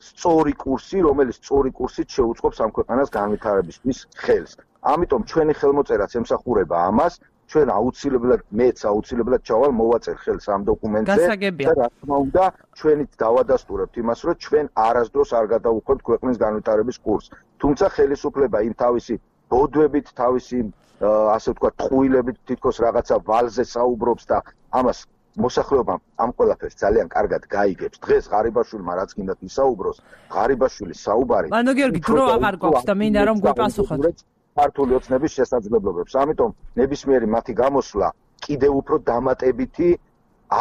სწორი კურსი რომელიც სწორი კურსით შეუწყობს ამ ქვეყანას განვითარებისთვის ხელს ამიტომ ჩვენი ხელმოწერაც ემსახურება ამას ჩვენ აუცილებლად ჩავალ მოვაწერ ხელს ამ დოკუმენტზე და რა თქმა უნდა ჩვენით დავადასტურებთ იმას რომ ჩვენ არასდროს არ გადავუხვებთ ქვეყნის განვითარების კურსს თუმცა ხელისუფლება იმ თავისი ბოდვებით თავისი ასე ვთქვათ ტყუილებით თითქოს რაღაცა ვალზე საუბრობს და ამას მოსახლეობამ ამ ყველაფერს ძალიან კარგად გაიგებს დღეს ღარიბაშვილმა რაც გინდათ ისაუბროს ღარიბაშვილის საუბარი ბატონო გიორგი დრო აღარ გვაქვს და მინდა რომ გვეპასუხოთ ქართული ოცნების შესაძლებლობებს. ამიტომ ნებისმიერი მათი გამოსვლა კიდევ უფრო დამატებითი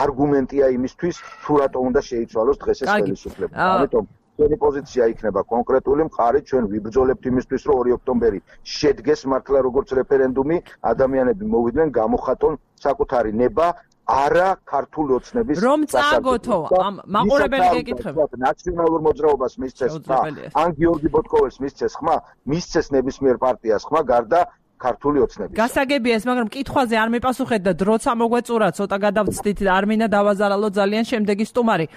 არგუმენტია იმისთვის, თუ რატო უნდა შეიცვალოს დღეს ეს ხელისუფლება. ამიტომ ჩვენი პოზიცია იქნება კონკრეტული მყარი, ჩვენ ვიბრძოლებთ იმისთვის, რომ 2 ოქტომბერი შედგეს მართლა როგორც რეფერენდუმი, ადამიანები მოვიდნენ, გამოხატონ საკუთარი ნება არა ქართული ოცნების რომ წააგოთო ამ მაყურებელი გეკითხება ნაციონალურ მოძრაობას მისცეს ხმა ან გიორგი ბოტკოველს მისცეს ხმა მისცეს ნებისმიერ პარტიას ხმა გარდა ქართული ოცნების გასაგებია ეს მაგრამ კითხვაზე არ მიპასუხეთ და დროც ამოგვეწურა ცოტა გადავწდით არ მინდა დავაზარალო ძალიან შემდეგი სტუმარი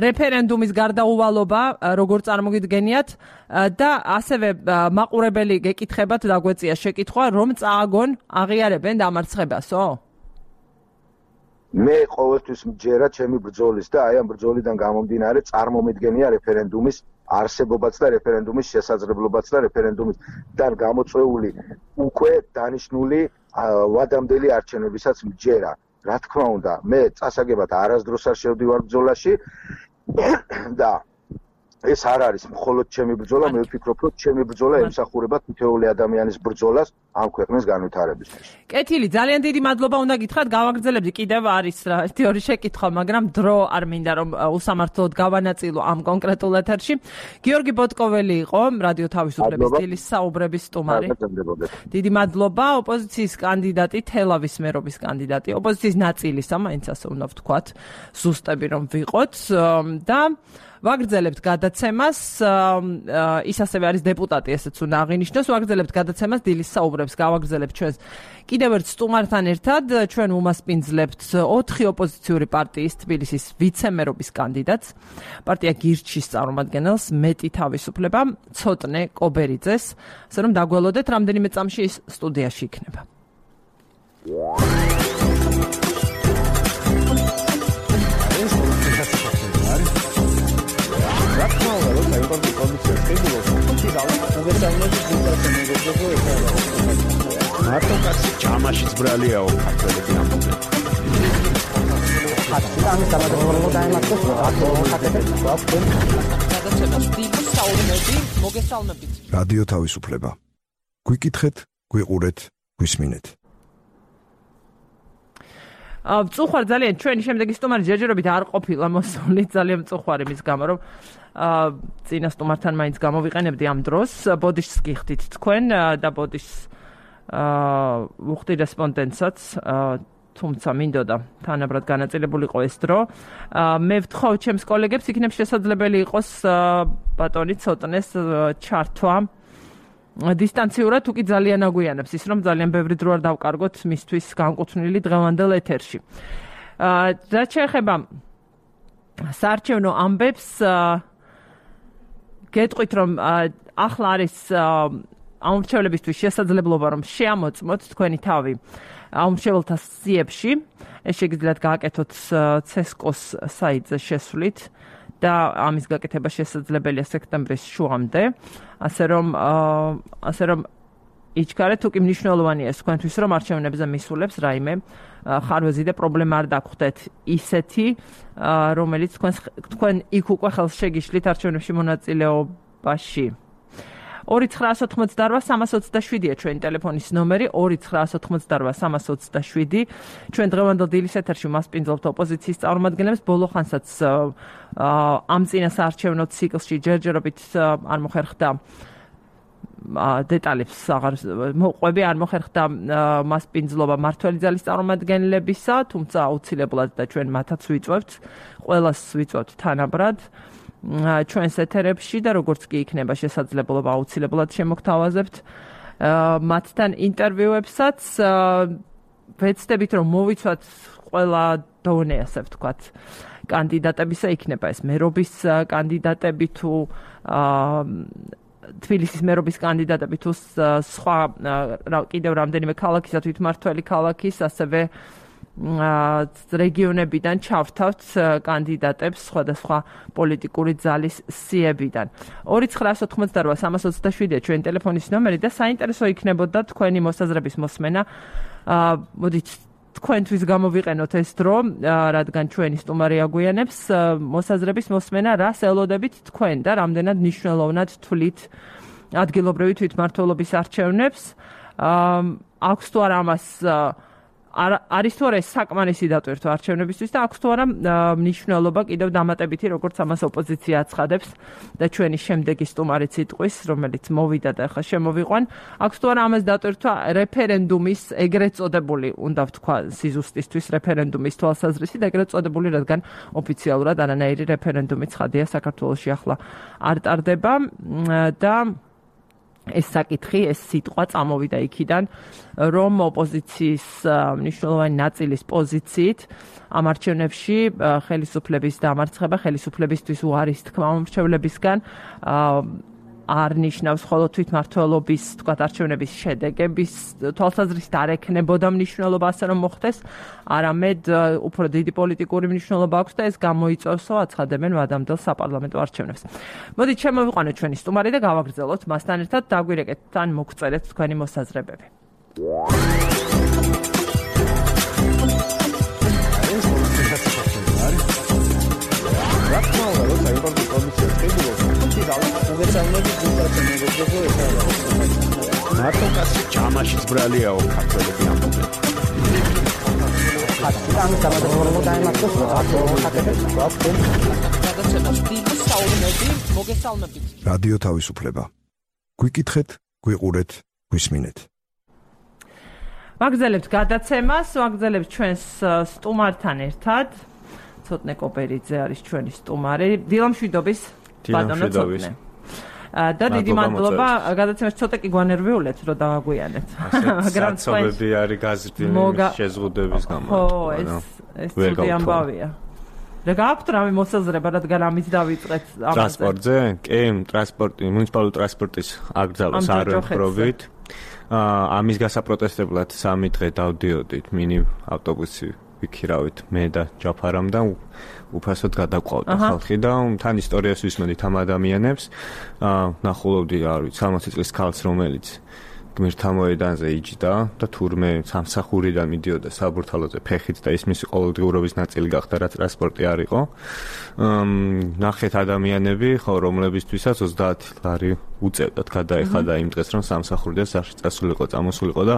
რეფერენდუმის გარდაუვალობა როგორ წარმოგიდგენიათ და ასევე მაყურებელი გეკითხებათ დაგვეწია შეკითხვა რომ წააგონ აღიარებენ დამარცხებასო მე ყოველთვის მჯერა ჩემი ბრძოლის და აი ამ ბრძოლიდან გამომდინარე წარმომიდგენია რეფერენდუმის არსებობაც და რეფერენდუმის შესაძლებლობაც და რეფერენდუმისგან გამოწვეული უკვე დანიშნული ვადამდელი არჩევნებისაც მჯერა. რა თქმა უნდა, მე წასაგებად არასდროს არ შევდივარ ბრძოლაში და ეს არ არის მხოლოდ ჩემი ბრძოლა, მე ვფიქრობ, რომ ჩემი ბრძოლა ემსახურება თითოეული ადამიანის ბრძოლას ამ ქვეყნის განვითარებისთვის. კეთილი, ძალიან დიდი მადლობა უნდა გითხრათ, გავაგრძელებდი კიდევ არის რა, თეორიული შეკითხვა, მაგრამ დრო არ მინდა რომ უსამართლოდ გავანაწილო ამ კონკრეტულ ეთერში. გიორგი ბოტკოველი იყო, რადიო თავისუფლების დილის საუბრების სტუმარი. დიდი მადლობა, ოპოზიციის კანდიდატი, თელავის მერობის კანდიდატი, ოპოზიციის ნაწილისა, მაინც ასე უნდა ვთქვათ, ზუსტები რომ ვიყოთ და ვაგრძელებთ გადაცემას, ის ასევე არის დეპუტატი, ესეც უნდა აღინიშნოს, ვაგრძელებთ გადაცემას დილის საუბრებს, გავაგრძელებთ ჩვენს კიდევ ერთ სტუმართან ერთად, ჩვენ უმასპინძლებთ 4 ოპოზიციური პარტიის თბილისის ვიცემერობის კანდიდატს, პარტია გირჩის წარმომადგენელს, მეტი თავისუფლება, ცოტნე კობერიძეს, ასე რომ დაგველოდეთ, რამდენიმე წამში ის სტუდიაში იქნება. მარტო კაცი ჯამაშიც ბრალიაო ქართველები ამბობენ. რადიო თავისუფლება. გვიკითხეთ, გვიყურეთ, გვისმინეთ. მწუხვარ ძალიან ჩვენი შემდეგი სტუმარი ჯერჯერობით არ ყოფილა მოსული ძალიან მწუხვარი მის გამო რომ წინა სტუმართან მაინც გამოვიყენებდი ამ დროს ბოდიშს გიხდით თქვენ და ბოდიშს უხდი რესპონდენტსაც თუმცა მინდოდა თანაბრად განაწილებულიყო ეს დრო მე ვთხოვ ჩემს კოლეგებს იქნებ შესაძლებელი იყოს ბატონი ცოტნეს ჩართვა დისტანციურად თუ კი ძალიან აგვიანებს ის რომ ძალიან ბევრი დრო არ დავკარგოთ მისთვის განკუთვნილი დღევანდელ ეთერში. რაც შეეხება საარჩევნო ამბებს გეტყვით რომ ახლა არის ამორჩევლებისთვის შესაძლებლობა რომ შეამოწმოთ თქვენი თავი ამორჩეველთა სიებში ეს შეგიძლიათ გააკეთოთ CESCO-ს საიტზე შესვლით და ამის გაკეთება შესაძლებელია სექტემბრის შუამდე, ასე რომ იჩქარეთ თუ კი მნიშვნელოვანია ეს თქვენთვის რომ არჩევნებზე მისულებს რაიმე ხარვეზი და პრობლემა არ დაგხვდეთ ისეთი რომელიც თქვენ იქ უკვე ხელს შეგიშლით არჩევნებში მონაწილეობაში. 2988327-ია ჩვენი ტელეფონის ნომერი 2988327. ჩვენ დღევანდელ დილის ეთერში მასპინძლობთ ოპოზიციის წარმომადგენლებს ბოლო ხანსაც ამ წინასაარჩევნო ციკლში ჯერჯერობით არ მოხერხდა დეტალებს აღარ მოყვები არ მოხერხდა მასპინძლობა მართველი ძალის წარმომადგენლებისა, თუმცა აუცილებლად და ჩვენ მათაც ვიწვევთ, ყველას ვიწვევთ თანაბრად ჩვენს ეთერებში და როგორც კი იქნება შესაძლებლობა აუცილებლად შემოგთავაზებთ მათთან ინტერვიუებსაც ვეცდებით რომ მოვიცვათ ყველა დონე ასე ვთქვათ კანდიდატებისა იქნება ეს მერობის კანდიდატები თუ თბილისის მერობის კანდიდატები თუ სხვა კიდევ რამდენიმე ქალაქის და თვითმმართველი ქალაქის ასევე რეგიონებიდან ჩავთავთ კანდიდატებს სხვადასხვა პოლიტიკური ძალის სიებიდან 2988327-ია ჩვენი ტელეფონის ნომერი და საინტერესო იქნებოდა თქვენი მოსაზრების მოსმენა მოდით თქვენთვის გამოვიყენოთ ეს დრო რადგან ჩვენი სტუმარი აგვიანებს მოსაზრების მოსმენა რას ელოდებით თქვენ და რამდენად მნიშვნელოვნად თვლით ადგილობრივი თვითმმართველობის არჩევნებს აქვს თუ არა ამას არის თუ არა ეს საკმარისი დატვირთვა არჩევნებისთვის და აქვს თუ არა მნიშვნელობა კიდევ დამატებითი როგორც ამას ოპოზიცია აცხადებს და ჩვენი შემდეგი სტუმარიც იტყვის რომელიც მოვიდა და ახლა შემოვიყვან აქვს თუ არა ამას დატვირთვა რეფერენდუმის ეგრეთ წოდებული უნდა ვთქვა სიზუსტისთვის რეფერენდუმის თვალსაზრისით ეგრეთ წოდებული რადგან ოფიციალურად არანაირი რეფერენდუმი ცხადია საქართველოში ახლა არ ტარდება და ეს საკითხი, ეს სიტყვა წამოვიდა იქიდან, რომ ოპოზიციის მნიშვნელოვანი ნაწილის პოზიციით ამ არჩევნებში ხელისუფლების დამარცხება, ხელისუფლებისთვის უარის თქმა მომრჩევლებისგან არ ნიშნავს ხოლო თვითმმართველობის, თქვათ, არჩევნების შედეგების თვალსაზრისით არ ექნებოდა მნიშვნელობა ასე რომ მოხდეს, არამედ უფრო დიდი პოლიტიკური მნიშვნელობა აქვს და ეს გამოიწვევსო აცხადებენ ვადამდელ საპარლამენტო არჩევნებს. მოდით შემოვიყვანოთ ჩვენი სტუმარი და გავაგრძელოთ მასთან ერთად დაგვირეკეთ თან მოგწერეთ თქვენი მოსაზრებები. მარტო კაცი ჯამაშიც ბრალიაო ქართველები ამბობენ. რადიო თავისუფლება. გვიკითხეთ, გვიყურეთ, გვისმინეთ. ვაგრძელებთ გადაცემას, ვაგრძელებთ ჩვენს სტუმართან ერთად. ცოტნე კოპერიძე არის ჩვენი სტუმარი. დილამშვიდობის ბატონო ცოტნე. და დიდი მადლობა გადაცემაში ცოტა კი გვანერვიულეთ რომ დავაგვიანეთ. მაგრამ ცნობები არის გაზრდილი შეზღუდების გამო. ხო, ეს ცუდი ამბავია. და გააქვთ რამე მოსაზრება, რადგან ამით დავიწყეთ ამაზე. ტრანსპორტზე? კი, ტრანსპორტი, მუნიციპალური ტრანსპორტის აკრძალვის არვენხრობით. ამის გასაპროტესტებლად 3 დღე დავდიოდით მინი ავტობუსი ვიქირავით მე და ჯაფარამ და უფასოდ გადაყვავდა ხალხი და თან ისტორიას ვისმენთ ამ ადამიანებს ნახულობდი არ ვიცი 60 წლის ქალს რომელიც გმირთა მოედანზე იჯდა და თურმე სამსახურიდან მიდიოდა საბურთალოზე ფეხით და ის მისი ყოველდღიურობის ნაწილი გახდა რაც ტრანსპორტი არ იყო ნახეთ ადამიანები ხო რომლებისთვისაც 30 ლარი უწევდათ გადაეხადა იმ დღეს რომ სამსახურიდან სახში წასულიყო წამოსულიყო და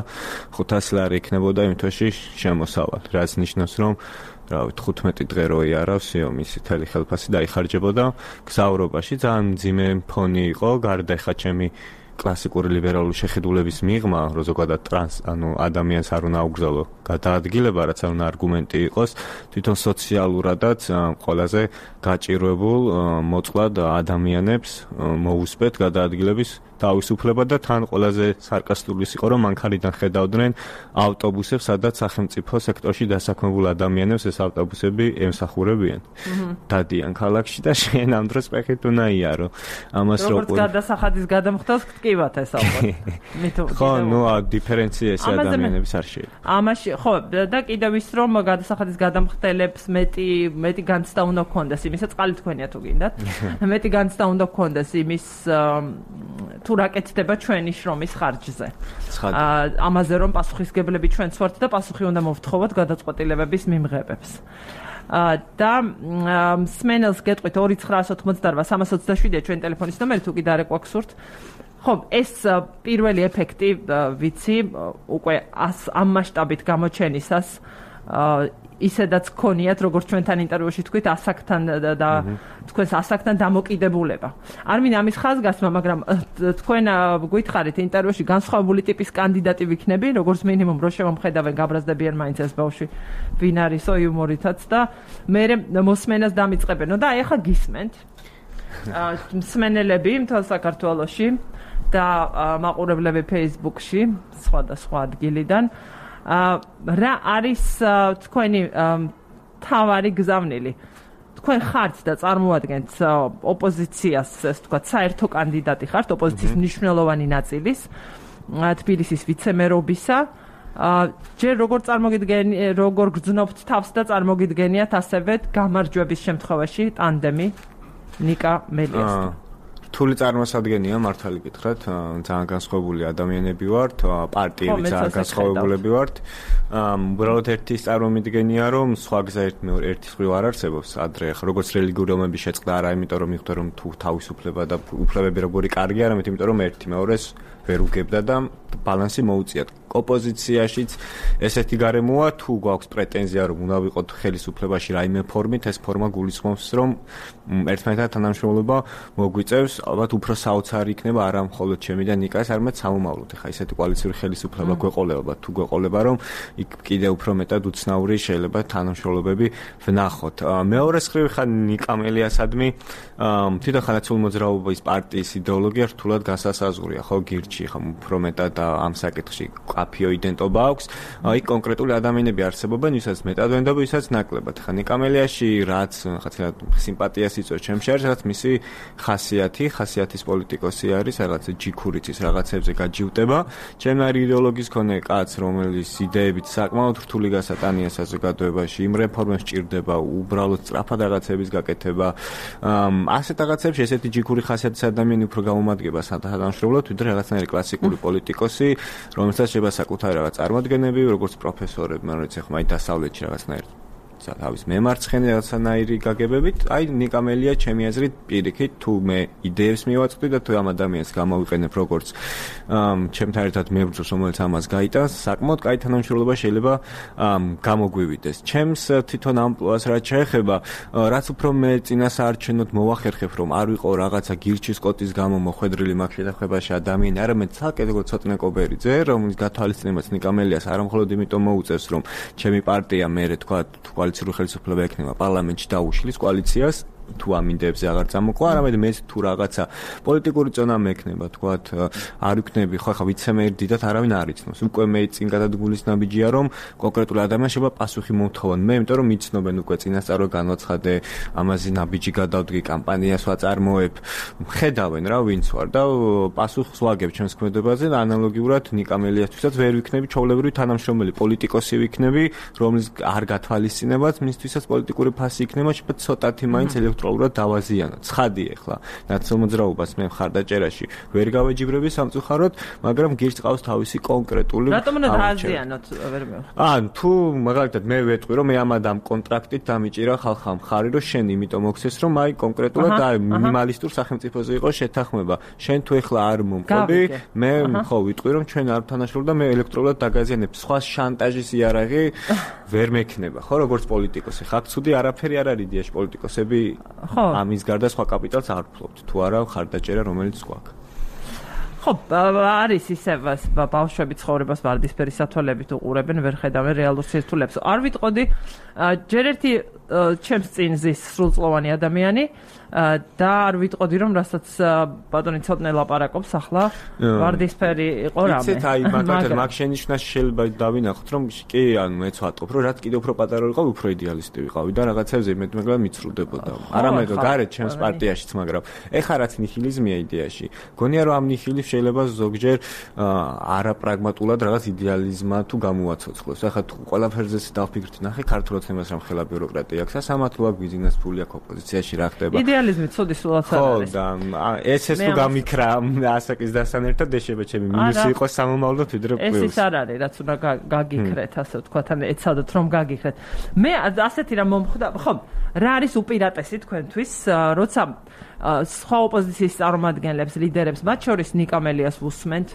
500 ლარი იქნებოდა იმ თვეში შემოსავალი რაც ნიშნავს რომ რავი 15 დღე რო იარავსიო მისი თელი ხელფასი დაიხარჯებოდა გზავრობაში ძალიან მძიმე ფონი იყო გარდა ეხა ჩემი კლასიკური ლიბერალური შეხედულების მიღმა, რომ ზოგადად ადამიანს არ უნდა აუგზავნო გადაადგილება, რაც არ უნდა არგუმენტი იყოს, თვითონ სოციალურადაც ყველაზე გაჭირვებულ მოწყვლად ადამიანებს მოუსწრეთ გადაადგილების თავისუფლება და თან ყველაზე სარკასტული იყო, რომ მანქანიდან ხედავდნენ ავტობუსებს, სადაც სახელმწიფო სექტორში დასაქმებულ ადამიანებს ეს ავტობუსები ემსახურებიან. დადიან ქალაქში და შენ ამ დროს ფეხით უნდა იარო. ამას როგორც გადასახადის გადამხდას გტკივათ ეს ალბათ. ხო, ნუ დიფერენცია ეს ადამიანების არ შეიძლება. ამაში ხო და კიდევ ის რომ გადასახადის გადამხდელებს მეტი განცდა უნდა გქონდეს იმისა წყალი თქვენია თუ გინდათ. მეტი განცდა უნდა გქონდეს იმის თუ რაკეთდება ჩვენი შრომის ხარჯზე. ამაზე რომ პასუხისგებლები ჩვენც ვართ და პასუხი უნდა მოვთხოვოთ გადაწყვეტილებების მიმღებებს. და სმენელს გეტყვით 2988327-ია ჩვენი ტელეფონის ნომერი თუ კიდე არ ეკვაქსურთ ხო, ეს პირველი ეფექტი ვიცი, უკვე ამ მასშტაბით გამოჩენისას ისედაც ქონიათ, როგორც ჩვენთან ინტერვიუში თქვით, ასაკთან და თქვენს ასაკთან დამოკიდებულება. არ მინდა ამის ხაზგასმა, მაგრამ თქვენ გითხარით ინტერვიუში განსხვავებული ტიპის კანდიდატი ვიქნები, როგორც მინიმუმ რო შევამხედავენ გაბრაზდებიან მაინც ეს ბავშვი ვინ არისო იუმორითაც და მე მოსმენას დამიწყებენო და აი ახლა გისმენთ მსმენელები მთელ საქართველოში და მაყურებლები Facebook-ში სხვადასხვა ადგილიდან რა არის თქვენი თავარი გზავნილი? თქვენ ხართ და წარმოადგენთ ოპოზიციას, ეს თქვა, საერთო კანდიდატი ხართ ოპოზიციის მნიშვნელოვანი ნაწილის თბილისის ვიცემერობისა. ჯერ როგორ გრძნობთ თავს და წარმოგიდგენიათ ასევე გამარჯვების შემთხვევაში ტანდემი ნიკა მელიასთან? რთული წარმოსადგენია, მართალი გითხრათ, ძალიან განსხვავებული ადამიანები ვართ, პარტიები ძალიან განსხვავებულები ვართ. უბრალოდ ერთის წარმომიდგენია, რომ სხვა გზა ერთის მხრივ არ არსებობს ადრე, როგორც რელიგიური ომების შეწყდა არა, იმიტომ რომ მიხვდა რომ თუ თავისუფლება და უფლებები როგორი კარგია, არამედ იმიტომ რომ ერთი მეორეს ვერ უგებდა და ბალანსი მოუწიათ. ოპოზიციაშიც ესეთი გარემოა, თუ გვაქვს პრეტენზია, რომ უნდა ვიყოთ ხელისუფლებაში რაიმე ფორმით, ეს ფორმა გულისხმობს, რომ ერთმანეთთან თანამშრომლობა მოგვიწევს, ალბათ უფრო საოცარი იქნება არა მხოლოდ ჩემი და ნიკას, არამედ სამომავლოდ. ეხა ესეთი კოალიციური ხელისუფლება გვეყოლება, თუ გვეყოლება, რომ იქ კიდევ უფრო მეტად უცნაური შეიძლება თანამშრომლობები ვნახოთ. მეორე მხრივ ხან ნიკა მელიასადმი თვითონ ხანაცულ მოძრაობის პარტიის იდეოლოგია რთულად განსასაზღვრია, ხო, გირჩი, ხომ უფრო მეტად ამ საკითხში კაფიო იდენტობა აქვს. იქ კონკრეტული ადამიანები არსებობენ, ვისაც მეტად ვენდობ, ვისაც ნაკლებად. ხა ნიკა მელიაში რაც ხათილად სიმპათიას იწვევს ჩემში არის, რაც მისი ხასიათის პოლიტიკოსი არის, რაღაც ჯიქურიცის რაღაცებზე გაჯიუტება. ჩემი არის იდეოლოგიის მქონე კაც, რომელიც იდეებით საკმაოდ რთული გასატანია საზოგადოებაში, იმ რეფორმებს ჭირდება, უბრალოდ სწრაფად რაღაცების გაკეთება. ასეთ რაღაცებში ესეთი ჯიქური ხასიათის ადამიანი უფრო გამომადგება თანამშრომლად, ვიდრე რაღაცნაირი კლასიკური პოლიტიკოსი, რომელსაც შეიძლება საკუთარი რაღაც წარმოდგენები, როგორც პროფესორები, მაგრამ ეხლა მაინც დასავლეთში რაღაცნაირი თავის მემარცხენე რაღაცნაირი გაგებებით, აი ნიკა მელია ჩემი აზრით პირიქით, თუ მე იდეებს მივაწყდი და თუ ამ ადამიანს გამოვიყენებ როგორც ჩემთან ერთად მებრძოლს, რომელიც ამას გაიტანს, საკმაოდ კაი თანამშრომლობა შეიძლება გამოგვივიდეს. ჩემს თვითონ ამპლუას რაც შეეხება, რაც უფრო მე წინასაარჩევნოდ მოვახერხებ, რომ არ ვიყო რაღაცა გირჩის კოტის გამო მოხვედრილი მაგ შეთანხმებაში ადამიანი, არამედ ცალკე როგორც ცოტნე კობერიძე, რომლის გათვალისწინებაც ნიკა მელიას არა მხოლოდ იმიტომ მოუწევს, რომ ჩემი პარტია მე თქვა კოალიციური ხელისუფლება ექნება პარლამენტში დაუშლის კოალიციას, თუ ამ იდეებზე აღარ წამოყვა, არამედ მე თუ რაღაცა პოლიტიკური წონა მექნება, თქვათ, არ ვიქნები, ხო ხა ვიცემერი დიდად არავინ არ იცნობს. უკვე მე წინ გადადგულის ნაბიჯია, რომ კონკრეტული ადამიანს შეიძლება პასუხი მომთხოვან. მე იმიტომ რომ მიცნობენ უკვე წინასწარ განაცხადე, ამაზე ნაბიჯი გადავდგი, კამპანიას ვაწარმოებ, ხედავენ რა ვინც ვარ და პასუხს ვაგებ ჩემს ქმედებაზე და ანალოგიურად ნიკა მელიასთვისაც ვერ ვიქნები ჩვეულებრივი თანამშრომელი, პოლიტიკოსი ვიქნები, რომლის არ გათვალისწინებაც მისთვისაც პოლიტიკური ფასი იქნება, შეიძლება ცოტათი მაინც ელექტროლურად დავაზიანო. ცხადი ახლა ნაცნობ მოძრაობას მე მხარდაჭერაში ვერ გავეჯიბრები სამწუხაროდ, მაგრამ გირჩ ყავს თავისი კონკრეტული რატომ უნდა დააზიანოთ ვერ მე? თუ მაგალითად მე ვეტყვი რომ მე ამ კონტრაქტით დამიჭირა ხალხა მხარი, რომ შენ იმიტომ მოქცეს, რომ აი კონკრეტულად აი მინიმალისტურ სახელმწიფოზე იყო შეთანხმება. შენ თუ ახლა არ მომყობი, მე ხო ვიტყვი რომ ჩვენ არ თანაშრომლობ და მე ელექტროლურად დაგაზიანებ. სხვა შანტაჟის იარაღი ვერ მექნება, ხო, როგორც პოლიტიკოსი. ხა ცუდი არაფერი არ არის იდეაში პოლიტიკოსები ამის გარდა სხვა კაპიტალს არ ფლობთ, თუ არა ხარდაჭერა რომელიც გვაქვს. ხო, არის ისე ბავშვები ცხოვრებას ვარდისფერი სათვალებით უყურებენ, ვერ ხედავენ რეალურ სირთულეებს. არ ვიტყოდი, ჯერ ერთი ჩემს წინ ზის სრულწლოვანი ადამიანი და არ ვიტყოდი რომ რასაც ბატონი ცოტნე ლაპარაკობს ახლა ვარდისფერი იყო რამე. იცით, აი მაგალითად მაგ შენიშვნას შეიძლება დავინახოთ, რომ კი ანუ მეც ვატყობ, რომ რაც კიდევ უფრო პატარა ვიყავ, უფრო იდეალისტი ვიყავი და რაღაცებზე მეტ-მეტად მიცრუდებოდა. არამედ გარეთ ჩემს პარტიაშიც, მაგრამ ეხლა რაც ნიჰილიზმია იდეაში, გონია რომ ამ ნიჰილიზმს შეიძლება ზოგჯერ არაპრაგმატულად რაღაც იდეალიზმა თუ გამოვაცოცხლოს. ახლა თუ ყველაფერზე დავფიქრდით, ნახე ქართულ ოცნებას რამ ხელა ბიუროკრატია აქვს, სასამართლო აქვს, ბიზნეს ფული აქვს, ოპოზიციაში რა ხდება. იდეალიზმი ცუდი სულაც არ არის. ხო, და ეს თუ გამიქრა ასაკის დასთან ერთად ეშება ჩემი მინუსი იყოს სამომავლოდ ვიდრე პლუსი. ეს ის არ არის, რაც უნდა გაგიქრეთ, ასე ვთქვათ, ან ეცადოთ რომ გაგიქრეთ. მე ასეთი რამ მომხვდა, ხო, რა არის უპირატესი თქვენთვის, როცა სხვა ოპოზიციის წარმომადგენლებს, ლიდერებს, მათ შორის ნიკა მელიას ვუსმენთ,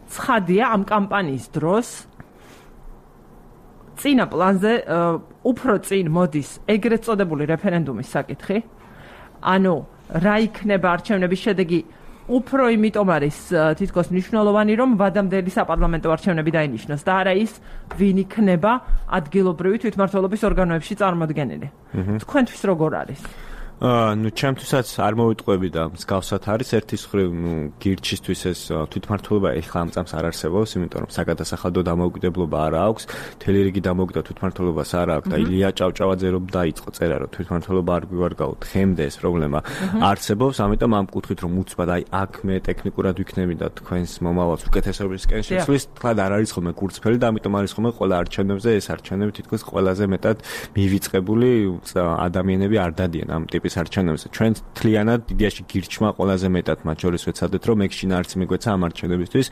ცხადია ამ კამპანიის დროს წინა პლანზე უფრო წინ მოდის ეგრეთ წოდებული რეფერენდუმის საკითხი. ანუ რა იქნება არჩევნების შედეგი უფრო იმიტომ არის თითქოს მნიშვნელოვანი, რომ ვადამდელი საპარლამენტო არჩევნები დაინიშნოს და არა ის, ვინ იქნება ადგილობრივი თვითმმართველობის ორგანოებში წარმოდგენილი. თქვენთვის როგორ არის? ნუ ჩემთვისაც არ მოვიტყვები და მსგავსად არის ერთის მხრივ გირჩისთვის ეს თვითმმართველობა ეხლა ამ წამს არ არსებობს, იმიტომ რომ საგადასახადო დამოუკიდებლობა არ აქვს, მთელი რიგი დამოუკიდებლობა თვითმმართველობას არ აქვს და ილია ჭავჭავაძე რომ დაიწყო წერა რომ თვითმმართველობა არ გვივარგავთ, ხემდე ეს პრობლემა არსებობს, ამიტომ ამ კუთხით რომ უცბად აი აქ მე ტექნიკურად ვიქნები და თქვენს მომავალს უკეთესობისკენ შეცვლის, თქვა არ არის ხოლმე კურცფელი და ამიტომ არის ხოლმე ყველა არჩევნებზე ეს არჩევნები თითქოს ყველაზე მეტად მივიწყებული ადამიანები არ დადიან ამ ტიპის არჩევნებზე. ჩვენ თლიანად იდეაში გირჩმა ყველაზე მეტად მათ შორის ვეცადეთ რომ ექშინა არც მიგვეცა ამ არჩევნებისთვის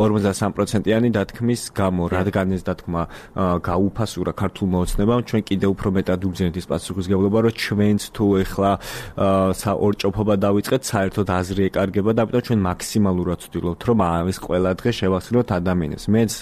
53%-იანი დათქმის გამო, რადგან ეს დათქმა გაუფასურა ქართულმა ოცნებამ, ჩვენ კიდევ უფრო მეტად ვგზავნით ის პასუხისმგებლობა, რომ ჩვენც თუ ეხლა ორჭოფობა დავიწყეთ, საერთოდ აზრი ეკარგება და ამიტომ ჩვენ მაქსიმალურად ვცდილობთ რომ ეს ყველა დღე შევახსნოთ ადამიანებს. მეც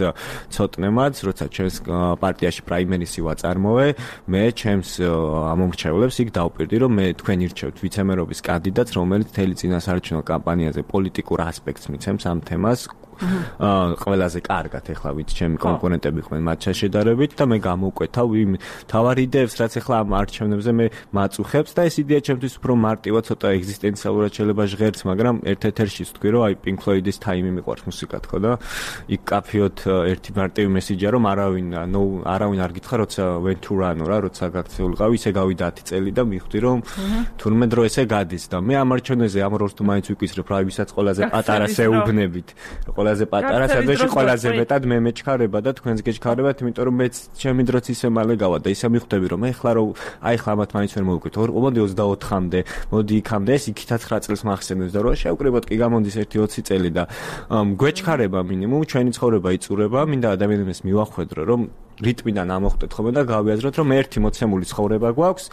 ცოტნემაც, როცა ჩვენს პარტიაში პრაიმერისი ვაწარმოე, მე ჩემს ამომრჩევლებს იქ დავპირდი, რომ მე თქვენ ირჩევთ ვიცემერობის კანდიდატს, რომელიც მთელი წინასაარჩევნო კამპანიაზე პოლიტიკურ ასპექტს მიცემს ამ თემას. ყველაზე კარგად ეხლა ვით ჩემი კონკურენტები ხმენ მათ შეშედარებით და მე გამოვკვეთავ იმ თავარ იდეებს, რაც ეხლა ამ არჩევნებზე მე მაწუხებს და ეს იდეა ჩემთვის უფრო მარტივად ცოტა ეგზისტენციალურად შეიძლება ჟღერც, მაგრამ ერთ-ერთში ვთქვი, რომ აი Pink Floyd-ის Time-ი მიყვარს მუსიკა თქო და იქ კაფიოთ ერთი მარტივი მესიჯია, რომ არავინ არ გითხრა, როცა went to run რა, როცა გაქცეულიყავი, ისე გავიდა 10 წელი და მივხვდი, რომ თურმე დრო ესე გადის და მე ამ არჩევნებზე ამ როლს თუ მაინც ვიკვისრებ, რა ვისაც ყველაზე პატარა შეუბნებით. ყველაზე პატარა სადაში ყველაზე მეტად მე მეჩქარება და თქვენს გეჩქარებათ, იმიტომ რომ მეც ჩემი დროც ისე მალე გავა და ისე მივხვდები რომ ეხლა რომ აი ხლა მათ მაინც ვერ მოვიკვით. მოდი 24-მდე, მოდი იქამდე, ეს იქითაც 9 წელს მახსენებს და რომ შევკრიბოთ კი გამონდის 1-20 წელი და გვეჩქარება მინიმუმ ჩვენი ცხოვრება იწურება, მინდა ადამიანებს მივახვედრო რომ რიტმიდან ამოხტეთ ხოლმე და გავიაზროთ რომ ერთი მოცემული ცხოვრება გვაქვს.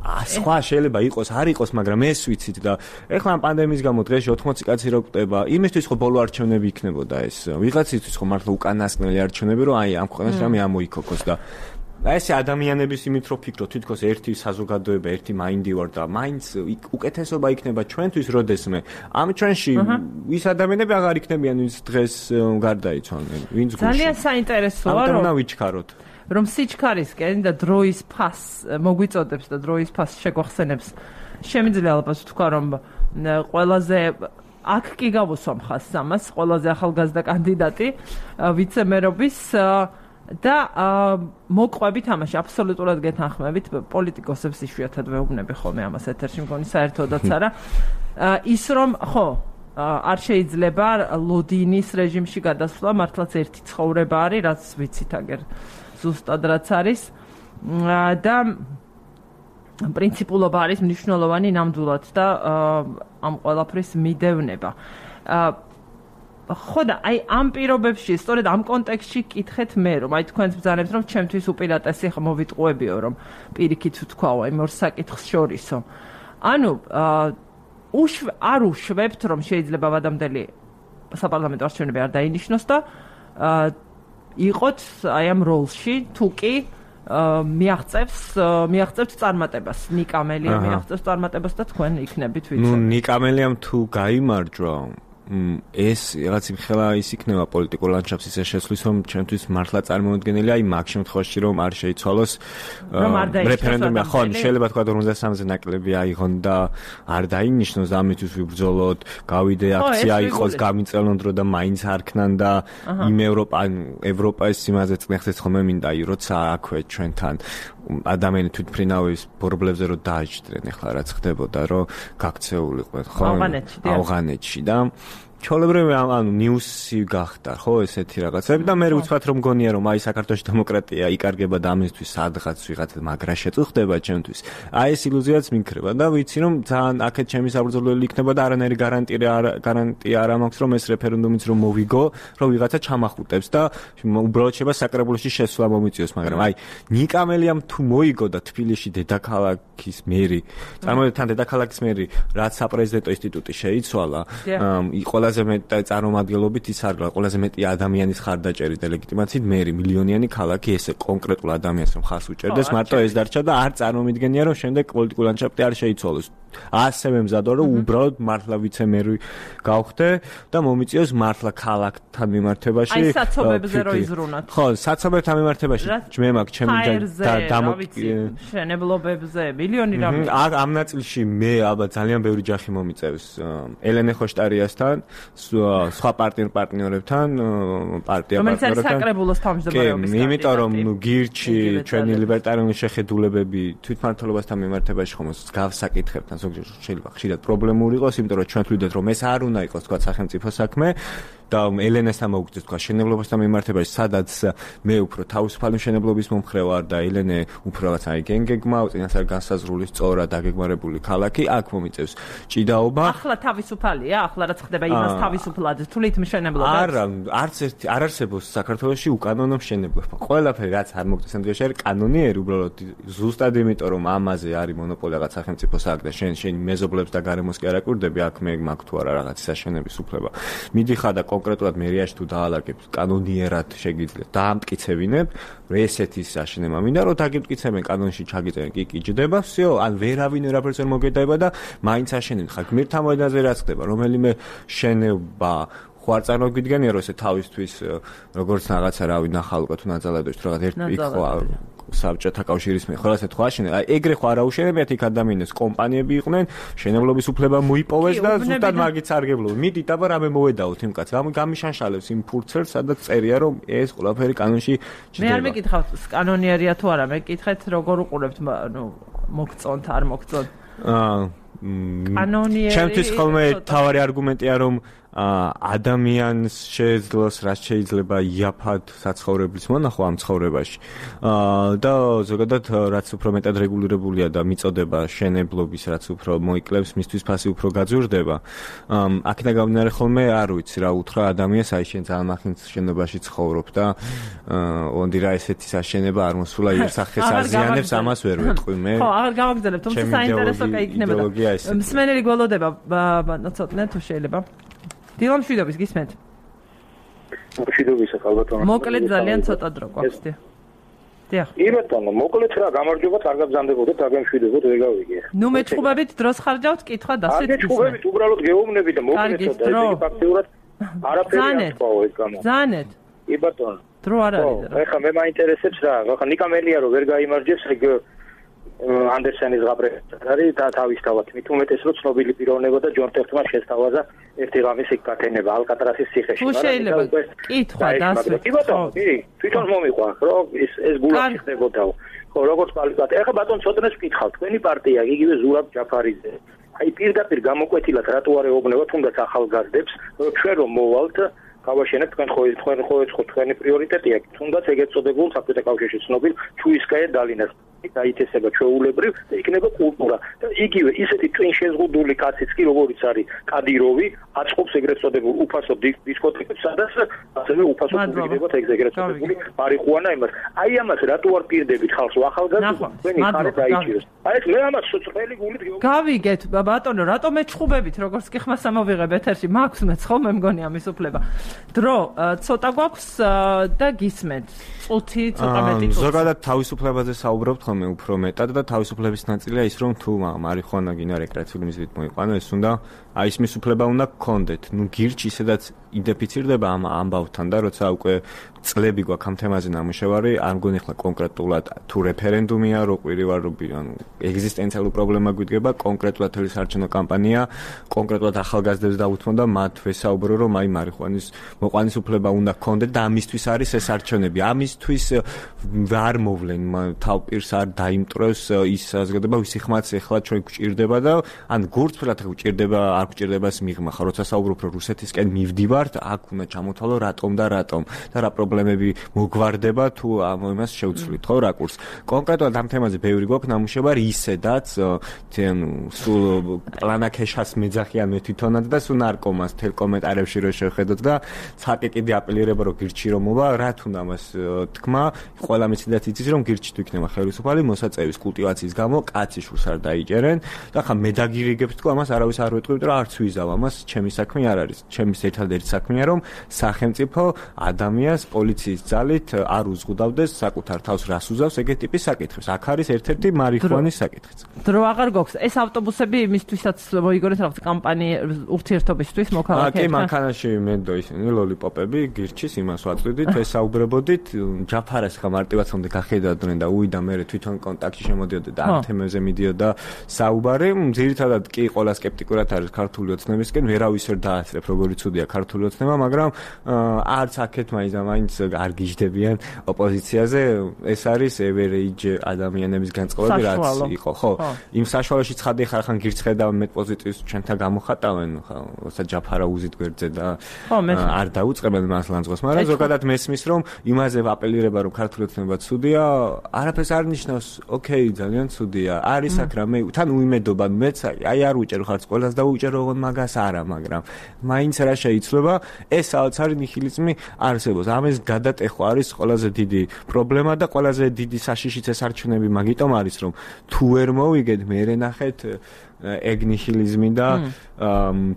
სხვა შეიძლება იყოს, არ იყოს, მაგრამ ეს ვიცით და ეხლა ამ პანდემიის გამო დღეში 80 კაცი რო კვდება, იმისთვის ხო ბოლო არჩევნები იქნებოდა ეს. ვიღაცისთვის ხო მართლა უკანასკნელი არჩევნები, რომ აი ამ ქვეყანაში რამე ამოიქოქოს და ეს ადამიანების იმით რო ფიქრობ, თითქოს ერთი საზოგადოება, ერთი მაინდი ვარ და მაინც უკეთესობა იქნება ჩვენთვის, როდესმე ამ ჩვენში ის ადამიანები აღარ იქნებიან, ვინც დღეს გარდაიცვალნენ, ვინც გუშინ. ძალიან საინტერესოა, რომ ვიჩქაროთ. რომ სიჩქარისკენ და დროის ფასს მოგვიწოდებს და დროის ფასს შეგვახსენებს. შემიძლია ალბათ ვთქვა, რომ ყველაზე აქ კი გავუსვამ ხაზს ამას, ყველაზე ახალგაზრდა კანდიდატი ვიცემერობის და მოყვებით ამაში აბსოლუტურად გეთანხმებით, პოლიტიკოსებს იშვიათად ვეუბნები ხოლმე ამას ეთერში, მგონი საერთოდაც არა. ის რომ ხო არ შეიძლება ლოდინის რეჟიმში გადასვლა, მართლაც ერთი ცხოვრება არის, რაც ვიცით აგერ ზუსტად რაც არის და პრინციპულობა არის მნიშვნელოვანი ნამდვილად და ამ ყველაფრის მიდევნება. ხო და აი ამ პირობებში, სწორედ ამ კონტექსტში კითხეთ მე, რომ აი თქვენს ბრძანებთ, რომ ჩემთვის უპირატესი ხა მოვიტყუებიო, რომ პირიქით ვთქვაო იმ ორ საკითხს შორისო. ანუ არ უშვებთ, რომ შეიძლება ვადამდელი საპარლამენტო არჩევნები არ დაინიშნოს და იყოთ აი ამ როლში, თუ კი მიაღწევთ წარმატებას, ნიკა მელია მიაღწევს წარმატებას და თქვენ იქნებით ვიცი. ნუ ნიკა მელიამ თუ გაიმარჯვა, ეს რაღაც იმხელა ის იქნება პოლიტიკურ ლანდშაფტს ისე შეცვლის, რომ ჩვენთვის მართლა წარმოუდგენელია, აი მაგ შემთხვევაში რომ არ შეიცვალოს რეფერენდუმი, ხო, შეიძლება თქვა 53-ზე ნაკლები აიღონ და არ დაინიშნოს, ამისთვის ვიბრძოლოთ, გავიდე აქცია იყოს, გამიწელონ დრო და მაინც არქნან და იმ ევროპის იმაზე წნეხეთ ხოლმე მინდა, როცა აქვე ჩვენთან ადამიანი თვითმფრინავის ბორბლებზე რომ დააჭდრენ, ახლა რაც ხდებოდა, რომ გაქცეულიყვნენ, ხო? ავღანეთში და ჩოლებრივი ანუ ნიუსი გახდა ხო ესეთი რაღაცები და მე ვუცბად რომ მგონია რომ აი საქართველოს დემოკრატია იკარგება და ამისთვის სადღაც ვიღაცა მაგრა შეწუხდება ჩემთვის აი ეს ილუზიაც მიქრება და ვიცი რომ ძალიან აქეთ ჩემი საბრძოლველი იქნება და არანაირი გარანტია არ მაქვს რომ ეს რეფერენდუმიც რომ მოვიგო რომ ვიღაცა ჩამახუტებს და უბრალოდ შეება საკრებულოში შესვლა მომიწიოს მაგრამ აი ნიკამელიამ თუ მოიგო და თბილისში დედაქალაქის მერი წარმოვიდგინეთ თან დედაქალაქის მერი რაც საპრეზიდენტო ინსტიტუტი შეიცვალა ყველაზე მეტი წარმომადგენლობით ის არ ყველაზე მეტი ადამიანის ხარდაჭერის და ლეგიტიმაციით მერი მილიონიანი ქალაქი ესე კონკრეტულ ადამიანს რომ ხარს უჭერდეს მარტო ეს დარჩა და არ წარმომიდგენია რომ შემდეგ პოლიტიკურ ლანდშაფტი არ შეიცვალოს ასევე მზადო რომ უბრალოდ მართლა ვიცე-მერი გავხდე და მომიწიოს მართლა ქალაქთან მიმართებაში აი საცობებზე რო იზრუნოთ ხო საცობებთან მიმართებაში მე მაქვს ჩემი შენებლობებზე მილიონი რამე ამ ნაწილში მე ალბათ ძალიან ბევრი ჯახი მომიწევს ელენე ხოშტარიასთან სხვა პარტნიორებთან რომელიც არის საკრებულოს თავმჯდომარეობის იმიტომ რომ გირჩი ჩვენი ლიბერტარიული შეხედულებები თვითმმართველობასთან მიმართებაში ხომ გავს საკითხებთან ზოგჯერ შეიძლება ხშირად პრობლემური იყოს იმიტომ რომ ჩვენ ვთვლიდეთ რომ ეს არ უნდა იყოს თქვა სახელმწიფო საქმე და ელენესთან მოგვიწევს თქვა შენებლობასთან მიმართებაში სადაც მე უფრო თავისუფალი შენებლობის მომხრე ვარ და ელენე უფრო რაღაც აი გენგეგმა წინასწარ განსაზღვრული სწორად დაგეგმარებული ქალაქი აქ მომიწევს ჭიდაობა ახლა თავისუფალია ახლა რაც ხდება იმას თავისუფლად თulit მშენებლობა არა არც ერთი არ არსებობს საქართველოში უკანონო მშენებლობა ყველაფერი რაც არ მოგწევს ამ დღეში არის კანონიერი უბრალოდ ზუსტად იმიტომ რომ ამაზე არის მონოპოლია რაღაც სახელმწიფო საქმე და შენ მეზობლებს და გარემოს კი არ აკურდები აქ მე მაქვს თუ არა რაღაც საშენების უფლება მიდიხარ და კონკრეტულად მერიაში თუ დაალაგებ კანონიერად შეგიძლიათ დაამტკიცებინებ ესეთი საშენება მინდა რომ დაგიმტკიცებენ კანონში ჩაგიწერენ კი ჯდება всё ან ვერავინ ვერაფერს ვერ მოგედაება და მაინც აშენებთ ხა გმირთა მოედანზე რაც ხდება რომელიმე შენობა ხوار წარმოგვიდგენია რომ ესე თავისთვის როგორც რაღაცა რავი ნახალყო თუ ნაძალადოს თუ რაღაც ერთი ხო საბჭოთა კავშირის მე ხო ასე თქვა შენ აი ეგრე ხო არ აუშენებიათ იქ ადამიანებს კომპანიები იყვნენ შენებლობის უფლება მოიპოვეს და ზუსტად მაგით სარგებლობენ მიდით აბა რამე მოედაოთ იმ კაცს გამიშანშალებს იმ ფურცელს სადაც წერია რომ ეს ყველაფერი კანონში ჯდება მე არ მეკითხავთ კანონიერია თუ არა მეკითხეთ როგორ უყურებთ ნუ მოგწონთ არ მოგწონთ კანონიერი ჩემთვის ხოლმე თავარი არგუმენტია რომ ადამიანს შეეძლოს რაც შეიძლება იაფად საცხოვრებლის მონახვა ამ ცხოვრებაში და ზოგადად რაც უფრო მეტად რეგულირებულია და მიწოდება შენებლობის რაც უფრო მოიკლებს მისთვის ფასი უფრო გაძვირდება აქედან გამომდინარე ხოლმე არ ვიცი რა უთხრა ადამიანს აი შენ ძალიან მახინც შენობაში ცხოვრობ და ონდი რა ესეთი საშენება არ მოსულა იერსახეს აზიანებს ამას ვერ ვეტყვი მე ხო აღარ გავაგზავნებ თუმცა საინტერესო იქნება მსმენელი გველოდება ცოტნე თუ შეიძლება დილა მშვიდობის გისმენთ? მშვიდობის ახალბატონო. მოკლედ ძალიან ცოტა დრო გვაქვს. დიახ. იბატონო, მოკლედ რა გამარჯობა, კარგად გზანდებოდეთ, აგემშვიდობოთ, ვერ გავიგე. ნუ მეჩხუბებით დროს ხარჯავთ, კითხვა დასვით. მეჩხუბებით უბრალოდ გეუბნები და მოკლედ და ეს ფაქტიურად არაფერი არ თქვა ეს გამო. ზანეთ. იბატონო. დრო არ არის. ეხლა მე მაინტერესებს რა, ხა ნიკამელია რომ ვერ გაიმარჯვებს, ეგ ანდერსენის გაბრეცად არის და თავისთავად მით უმეტეს რომ ცნობილი პიროვნება და ჯონ ტერტმა შესთავაზა ერთი ღამის იქ გაქენება ალკატრასის ციხეში. თუ შეიძლება კითხვა დასვით. იბატონო, თვითონ მომიყვა რომ ეს გულაში ხდებოდაო. ხო, როგორც პალიკად. ეხლა ბატონ ცოტნეს ვკითხავ, თქვენი პარტია იგივე ზურაბ ჯაფარიძე. აი პირდაპირ გამოკვეთილად რატო არ ეუბნება თუნდაც ახალგაზრდებს, რომ ჩვენ რომ მოვალთ გავაშენებთ თქვენი პრიორიტეტია, თუნდაც ეგეთ წოდებულ საბჭოთა კავშირში ცნობილ ჩუისკაია დალინას დაითესება ჩვეულებრივ და იქნება კულტურა და იგივე ისეთი twin შეზღუდული კაციც კი როგორიც არის კადიროვი აწყობს ეგრეთ წოდებულ უფასო დისკოთეკებს სადაც ასევე უფასო გულიდებათ ეგრეთ წოდებული მარიხუანა იმას აი ამას რატო არ პირდებით ხალხს ახალგაზრდა თქვენი ხარე დაიჭიროს აი ეს მე ამას წვრილი გულით გავიგეთ ბატონო რატო მეჩხუბებით როგორც კი ხმას ამოვიღებ ეთერში მაქვს მეც ხოლმე მგონი ამის უფლება დრო ცოტა გვაქვს და გისმენთ წუთი ცოტა მეტი წუთი ზოგადად თავისუფლებაზე საუბრობთ ხოლმე უფრო მეტად და თავისუფლების ნაწილია ის რომ თუ მარიხუანა გინდა რეკრეაციული მიზნით მოიყვანო ეს უნდა აი ის მისუფლება უნდა გქონდეთ ნუ გირჩი ისედაც იდენტიფიცირდება ამ ამბავთან და როცა უკვე წლები გვაქვს ამ თემაზე ნამუშევარი არ მგონი ახლა კონკრეტულად თუ რეფერენდუმია რო ყვირი ვარ რომ ანუ ეგზისტენციალური პრობლემა გვიდგება კონკრეტულად თელი საარჩევნო კამპანია კონკრეტულად ახალგაზრდებს დაუთმო და მათ ვესაუბრო რომ აი მარიხუანის მოყვანის უფლება უნდა გქონდეთ და ამისთვის არის ეს არჩევნები ამისთვის არ მოვლენ თავპირს არ დაიმტრევს ის საზოგადოება ვისი ხმაც ეხლა ჩვენ გვჭირდება და ან გურთფრად გვჭირდება არ გვჭირდება ეს მიღმა ხა როცა საუბრობ რომ რუსეთისკენ მივდივართ აქ უნდა ჩამოთვალო რატომ და რა პრობლემები მოგვარდება თუ ამ იმას შევცვლით ხო რა კურს კონკრეტულად ამ თემაზე ბევრი გვაქვს ნამუშევარი ისედაც სულ პლანაკეშას მეძახიან მე თვითონად და სულ ნარკომანს თელ კომენტარებში რო შევხედოთ და ცალკე კიდე აპელირება რომ გირჩი რომ მოვა რა თუნდა მას თქმა ყველა მეციდაც იცის რომ გირჩი თუ იქნება ხელისუფალი მოსაწევის კულტივაციის გამო კაცი შურს არ დაიჭერენ და ხა მე დაგირიგებთ თქო ამას არავის არ ვეტყვით რომ არც ვიზავ ამას ჩემი საქმე არ არის ჩემის ერთადერთი საქმეა რომ სახელმწიფო ადამიანს პოლიციის ძალით არ უზღუდავდეს საკუთარ თავს რას უზავს ეგეთი ტიპის საკითხებს აქ არის ერთ-ერთი მარიხუანის საკითხიც დრო აღარ გვაქვს ეს ავტობუსები იმისთვისაც მოიგონეთ რაღაც კამპანია ურთიერთობისთვის მოქალაქეებთან კი მანქანაში მენდო ისინი ლოლიპოპები გირჩის იმას ვაწვდით ესაუბრებოდით ჯაფარას ხა მარტივაცამდე გახედავდნენ და უიდა მე თვითონ კონტაქტში შემოდიოდა და ამ თემებზე მიდიოდა საუბარი ძირითადად კი ყველა სკეპტიკურად არის ქართული ოცნებისკენ ვერავის ვერ დაასწრებ როგორი ცუდია ქართული ოცნება მაგრამ არც აქეთ მაინც არ გიждდებიან ოპოზიციაზე ეს არის average ადამიანების განწყობები რაც იყო ხო იმ საშუალოში ცხადი ხარ გირცხედა მეტ პოზიტივს ჩვენთან გამოხატავენ ხო როცა ჯაფარა უზით გვერდზე და არ დაუწყებენ მას ლანძღოს მაგრამ ზოგადად მესმის რომ იმაზე აპელირება რომ ქართული ოცნება ცუდია არაფერს არ ნიშნავს ოკეი ძალიან ცუდია არის აქ რამე თან უიმედობა მეც აი არ უჭერო ხარც ყველას დაუჭერო ოღონდ მაგას არა მაგრამ მაინც რა შეიცვლება ეს საოცარი ნიჰილიზმი არსებობს ამას გადატეხვა არის ყველაზე დიდი პრობლემა და ყველაზე დიდი საშიშიც ეს არჩევნები მაგიტომ არის რომ თუ ვერ მოვიგეთ მე ნახეთ ეგ ნიჰილიზმი და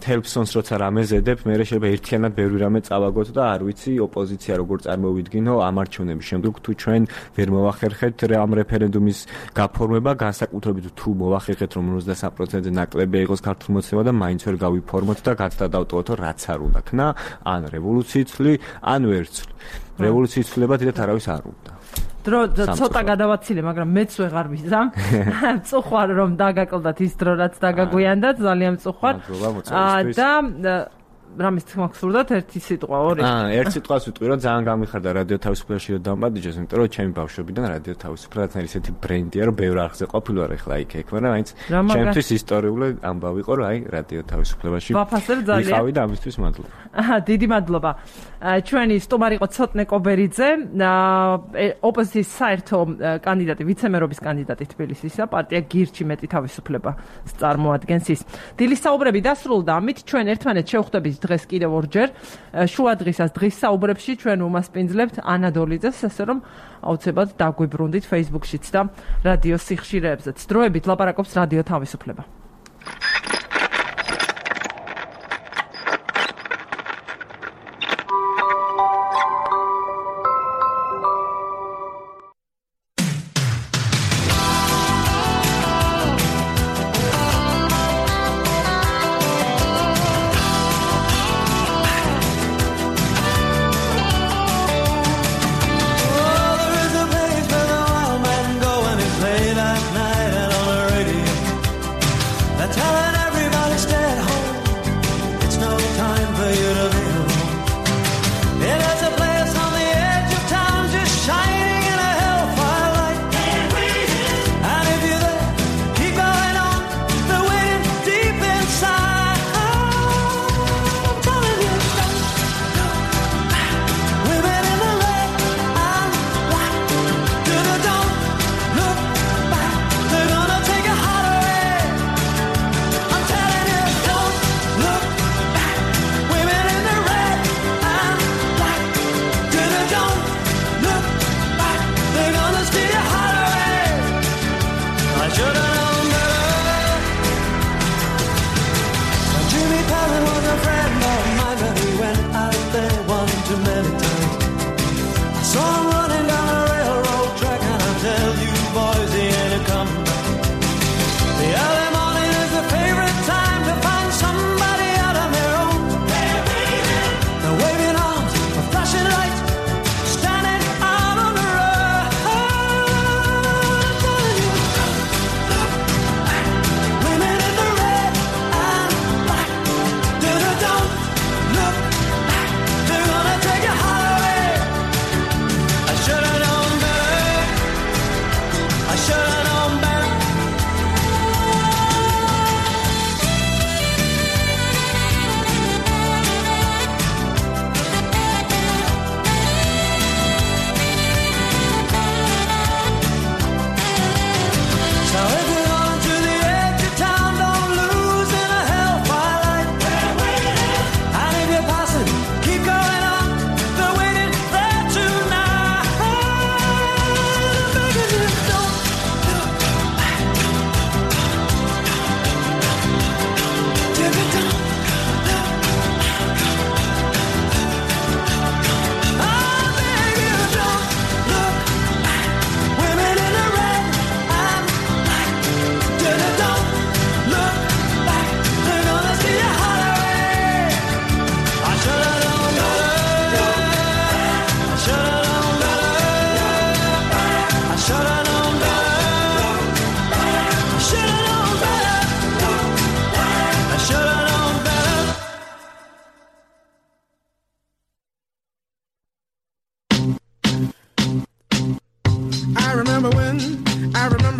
თელფსონს როცა რამეზედებ მე შეიძლება ერთიანად ბევრი რამე წავაგოთ და არ ვიცი ოპოზიცია როგორ წარმოვიდგინო ამ არჩევნების შემდეგ თუ ჩვენ ვერ მოვახერხეთ ამ რეფერენდუმის გაფორმება განსაკუთრებით თუ მოვახერხეთ რომ 53%-ზე ნაკლებია იყოს ქართული მოცემა და მაინც ვერ გავიფორმოთ და გაცდა დავტოვოთ რაც არ უნდა ქნა ან რევოლუციიცლი ან ვერცლი რევოლუციის ცვლილება დიდათ არავის არ უნდა დრო ცოტა გადავაცილე, მაგრამ მეც ვეღარ ვიზამ. მწუხვარ რომ დაგაკლდათ ის დრო რაც დაგაგვიანდა, ძალიან მწუხვარ. და რამის თქმა გსურდათ ერთი სიტყვა, ორი. ერთ სიტყვას ვიტყვი რომ ძალიან გამიხარდა რადიო თავისუფლებაში რომ დამბადიჯოს, იმიტომ რომ ჩემი ბავშვობიდან რადიო თავისუფლება არის ესეთი ბრენდია, რომ ბევრ არხზე ყოფილვარ ახლა იქ, მაგრამ მაინც ჩემთვის ისტორიული ამბავი იყო, რომ აი რადიო თავისუფლებაში ვიყავი და ამისთვის მადლობა. დიდი მადლობა. ჩვენი სტუმარი იყო ცოტნე კობერიძე, ოპოზიციის საერთო კანდიდატი, ვიცე-მერობის კანდიდატი თბილისისა, პარტია გირჩი მეტი თავისუფლება წარმოადგენს ის. დილის საუბრები დასრულდა, ამით ჩვენ ერთმანეთს შევხვდებით დღეს კიდევ ორჯერ შუა დღისას დღის საუბრებში ჩვენ უმასპინძლებთ ანა დოლიძეს, ასე რომ აუცილებლად დაგვიბრუნდით Facebook-შიც და რადიო სიხშირეებზეც. დროებით ლაპარაკობს რადიო თავისუფლება.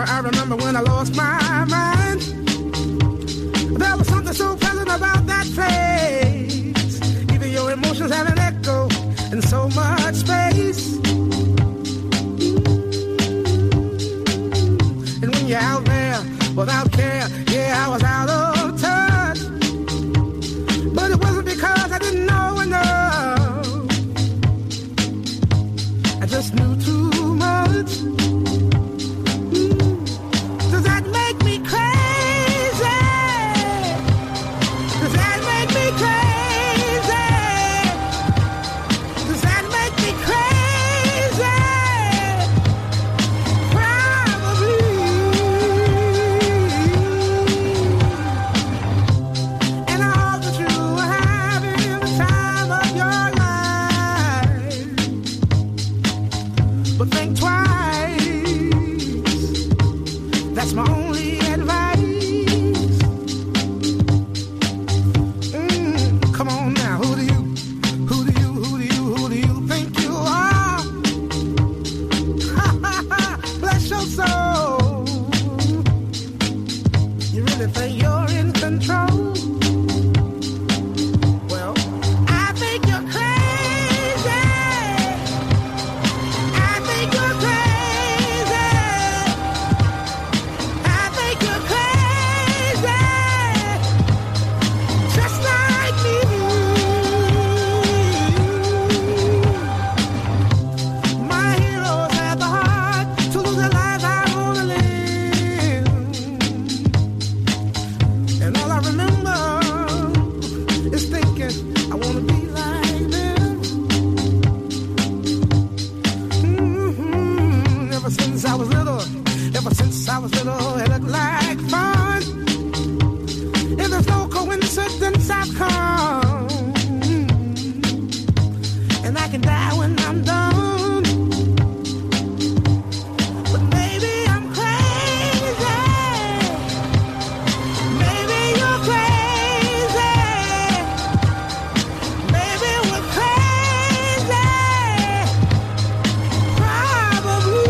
I remember when I lost my mind. There was something so pleasant about that place. Even your emotions have an echo in so much space. And when you're out there without care, yeah, I was out of touch. But it wasn't because I didn't know enough. I just knew too much. Does that make me crazy? Does that make me crazy? Does that make me crazy? Probably. And I hope that you are having the time of your life. But think twice. That's my only advice. Come on now, who do you think you are? Bless your soul. You really think you're in control? Well, I think you're crazy. I think you're crazy. I think you're crazy. Just like me. My heroes have the heart to lose their lives. I wanna live. And all I remember is thinking I wanna be like them. Ever since I was little, it looked like fun. And there's no coincidence I've come. And I can die when I'm done. But maybe I'm crazy. Maybe you're crazy. Maybe we're crazy. Probably.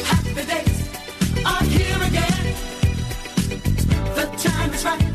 Happy days are here again. The time is right.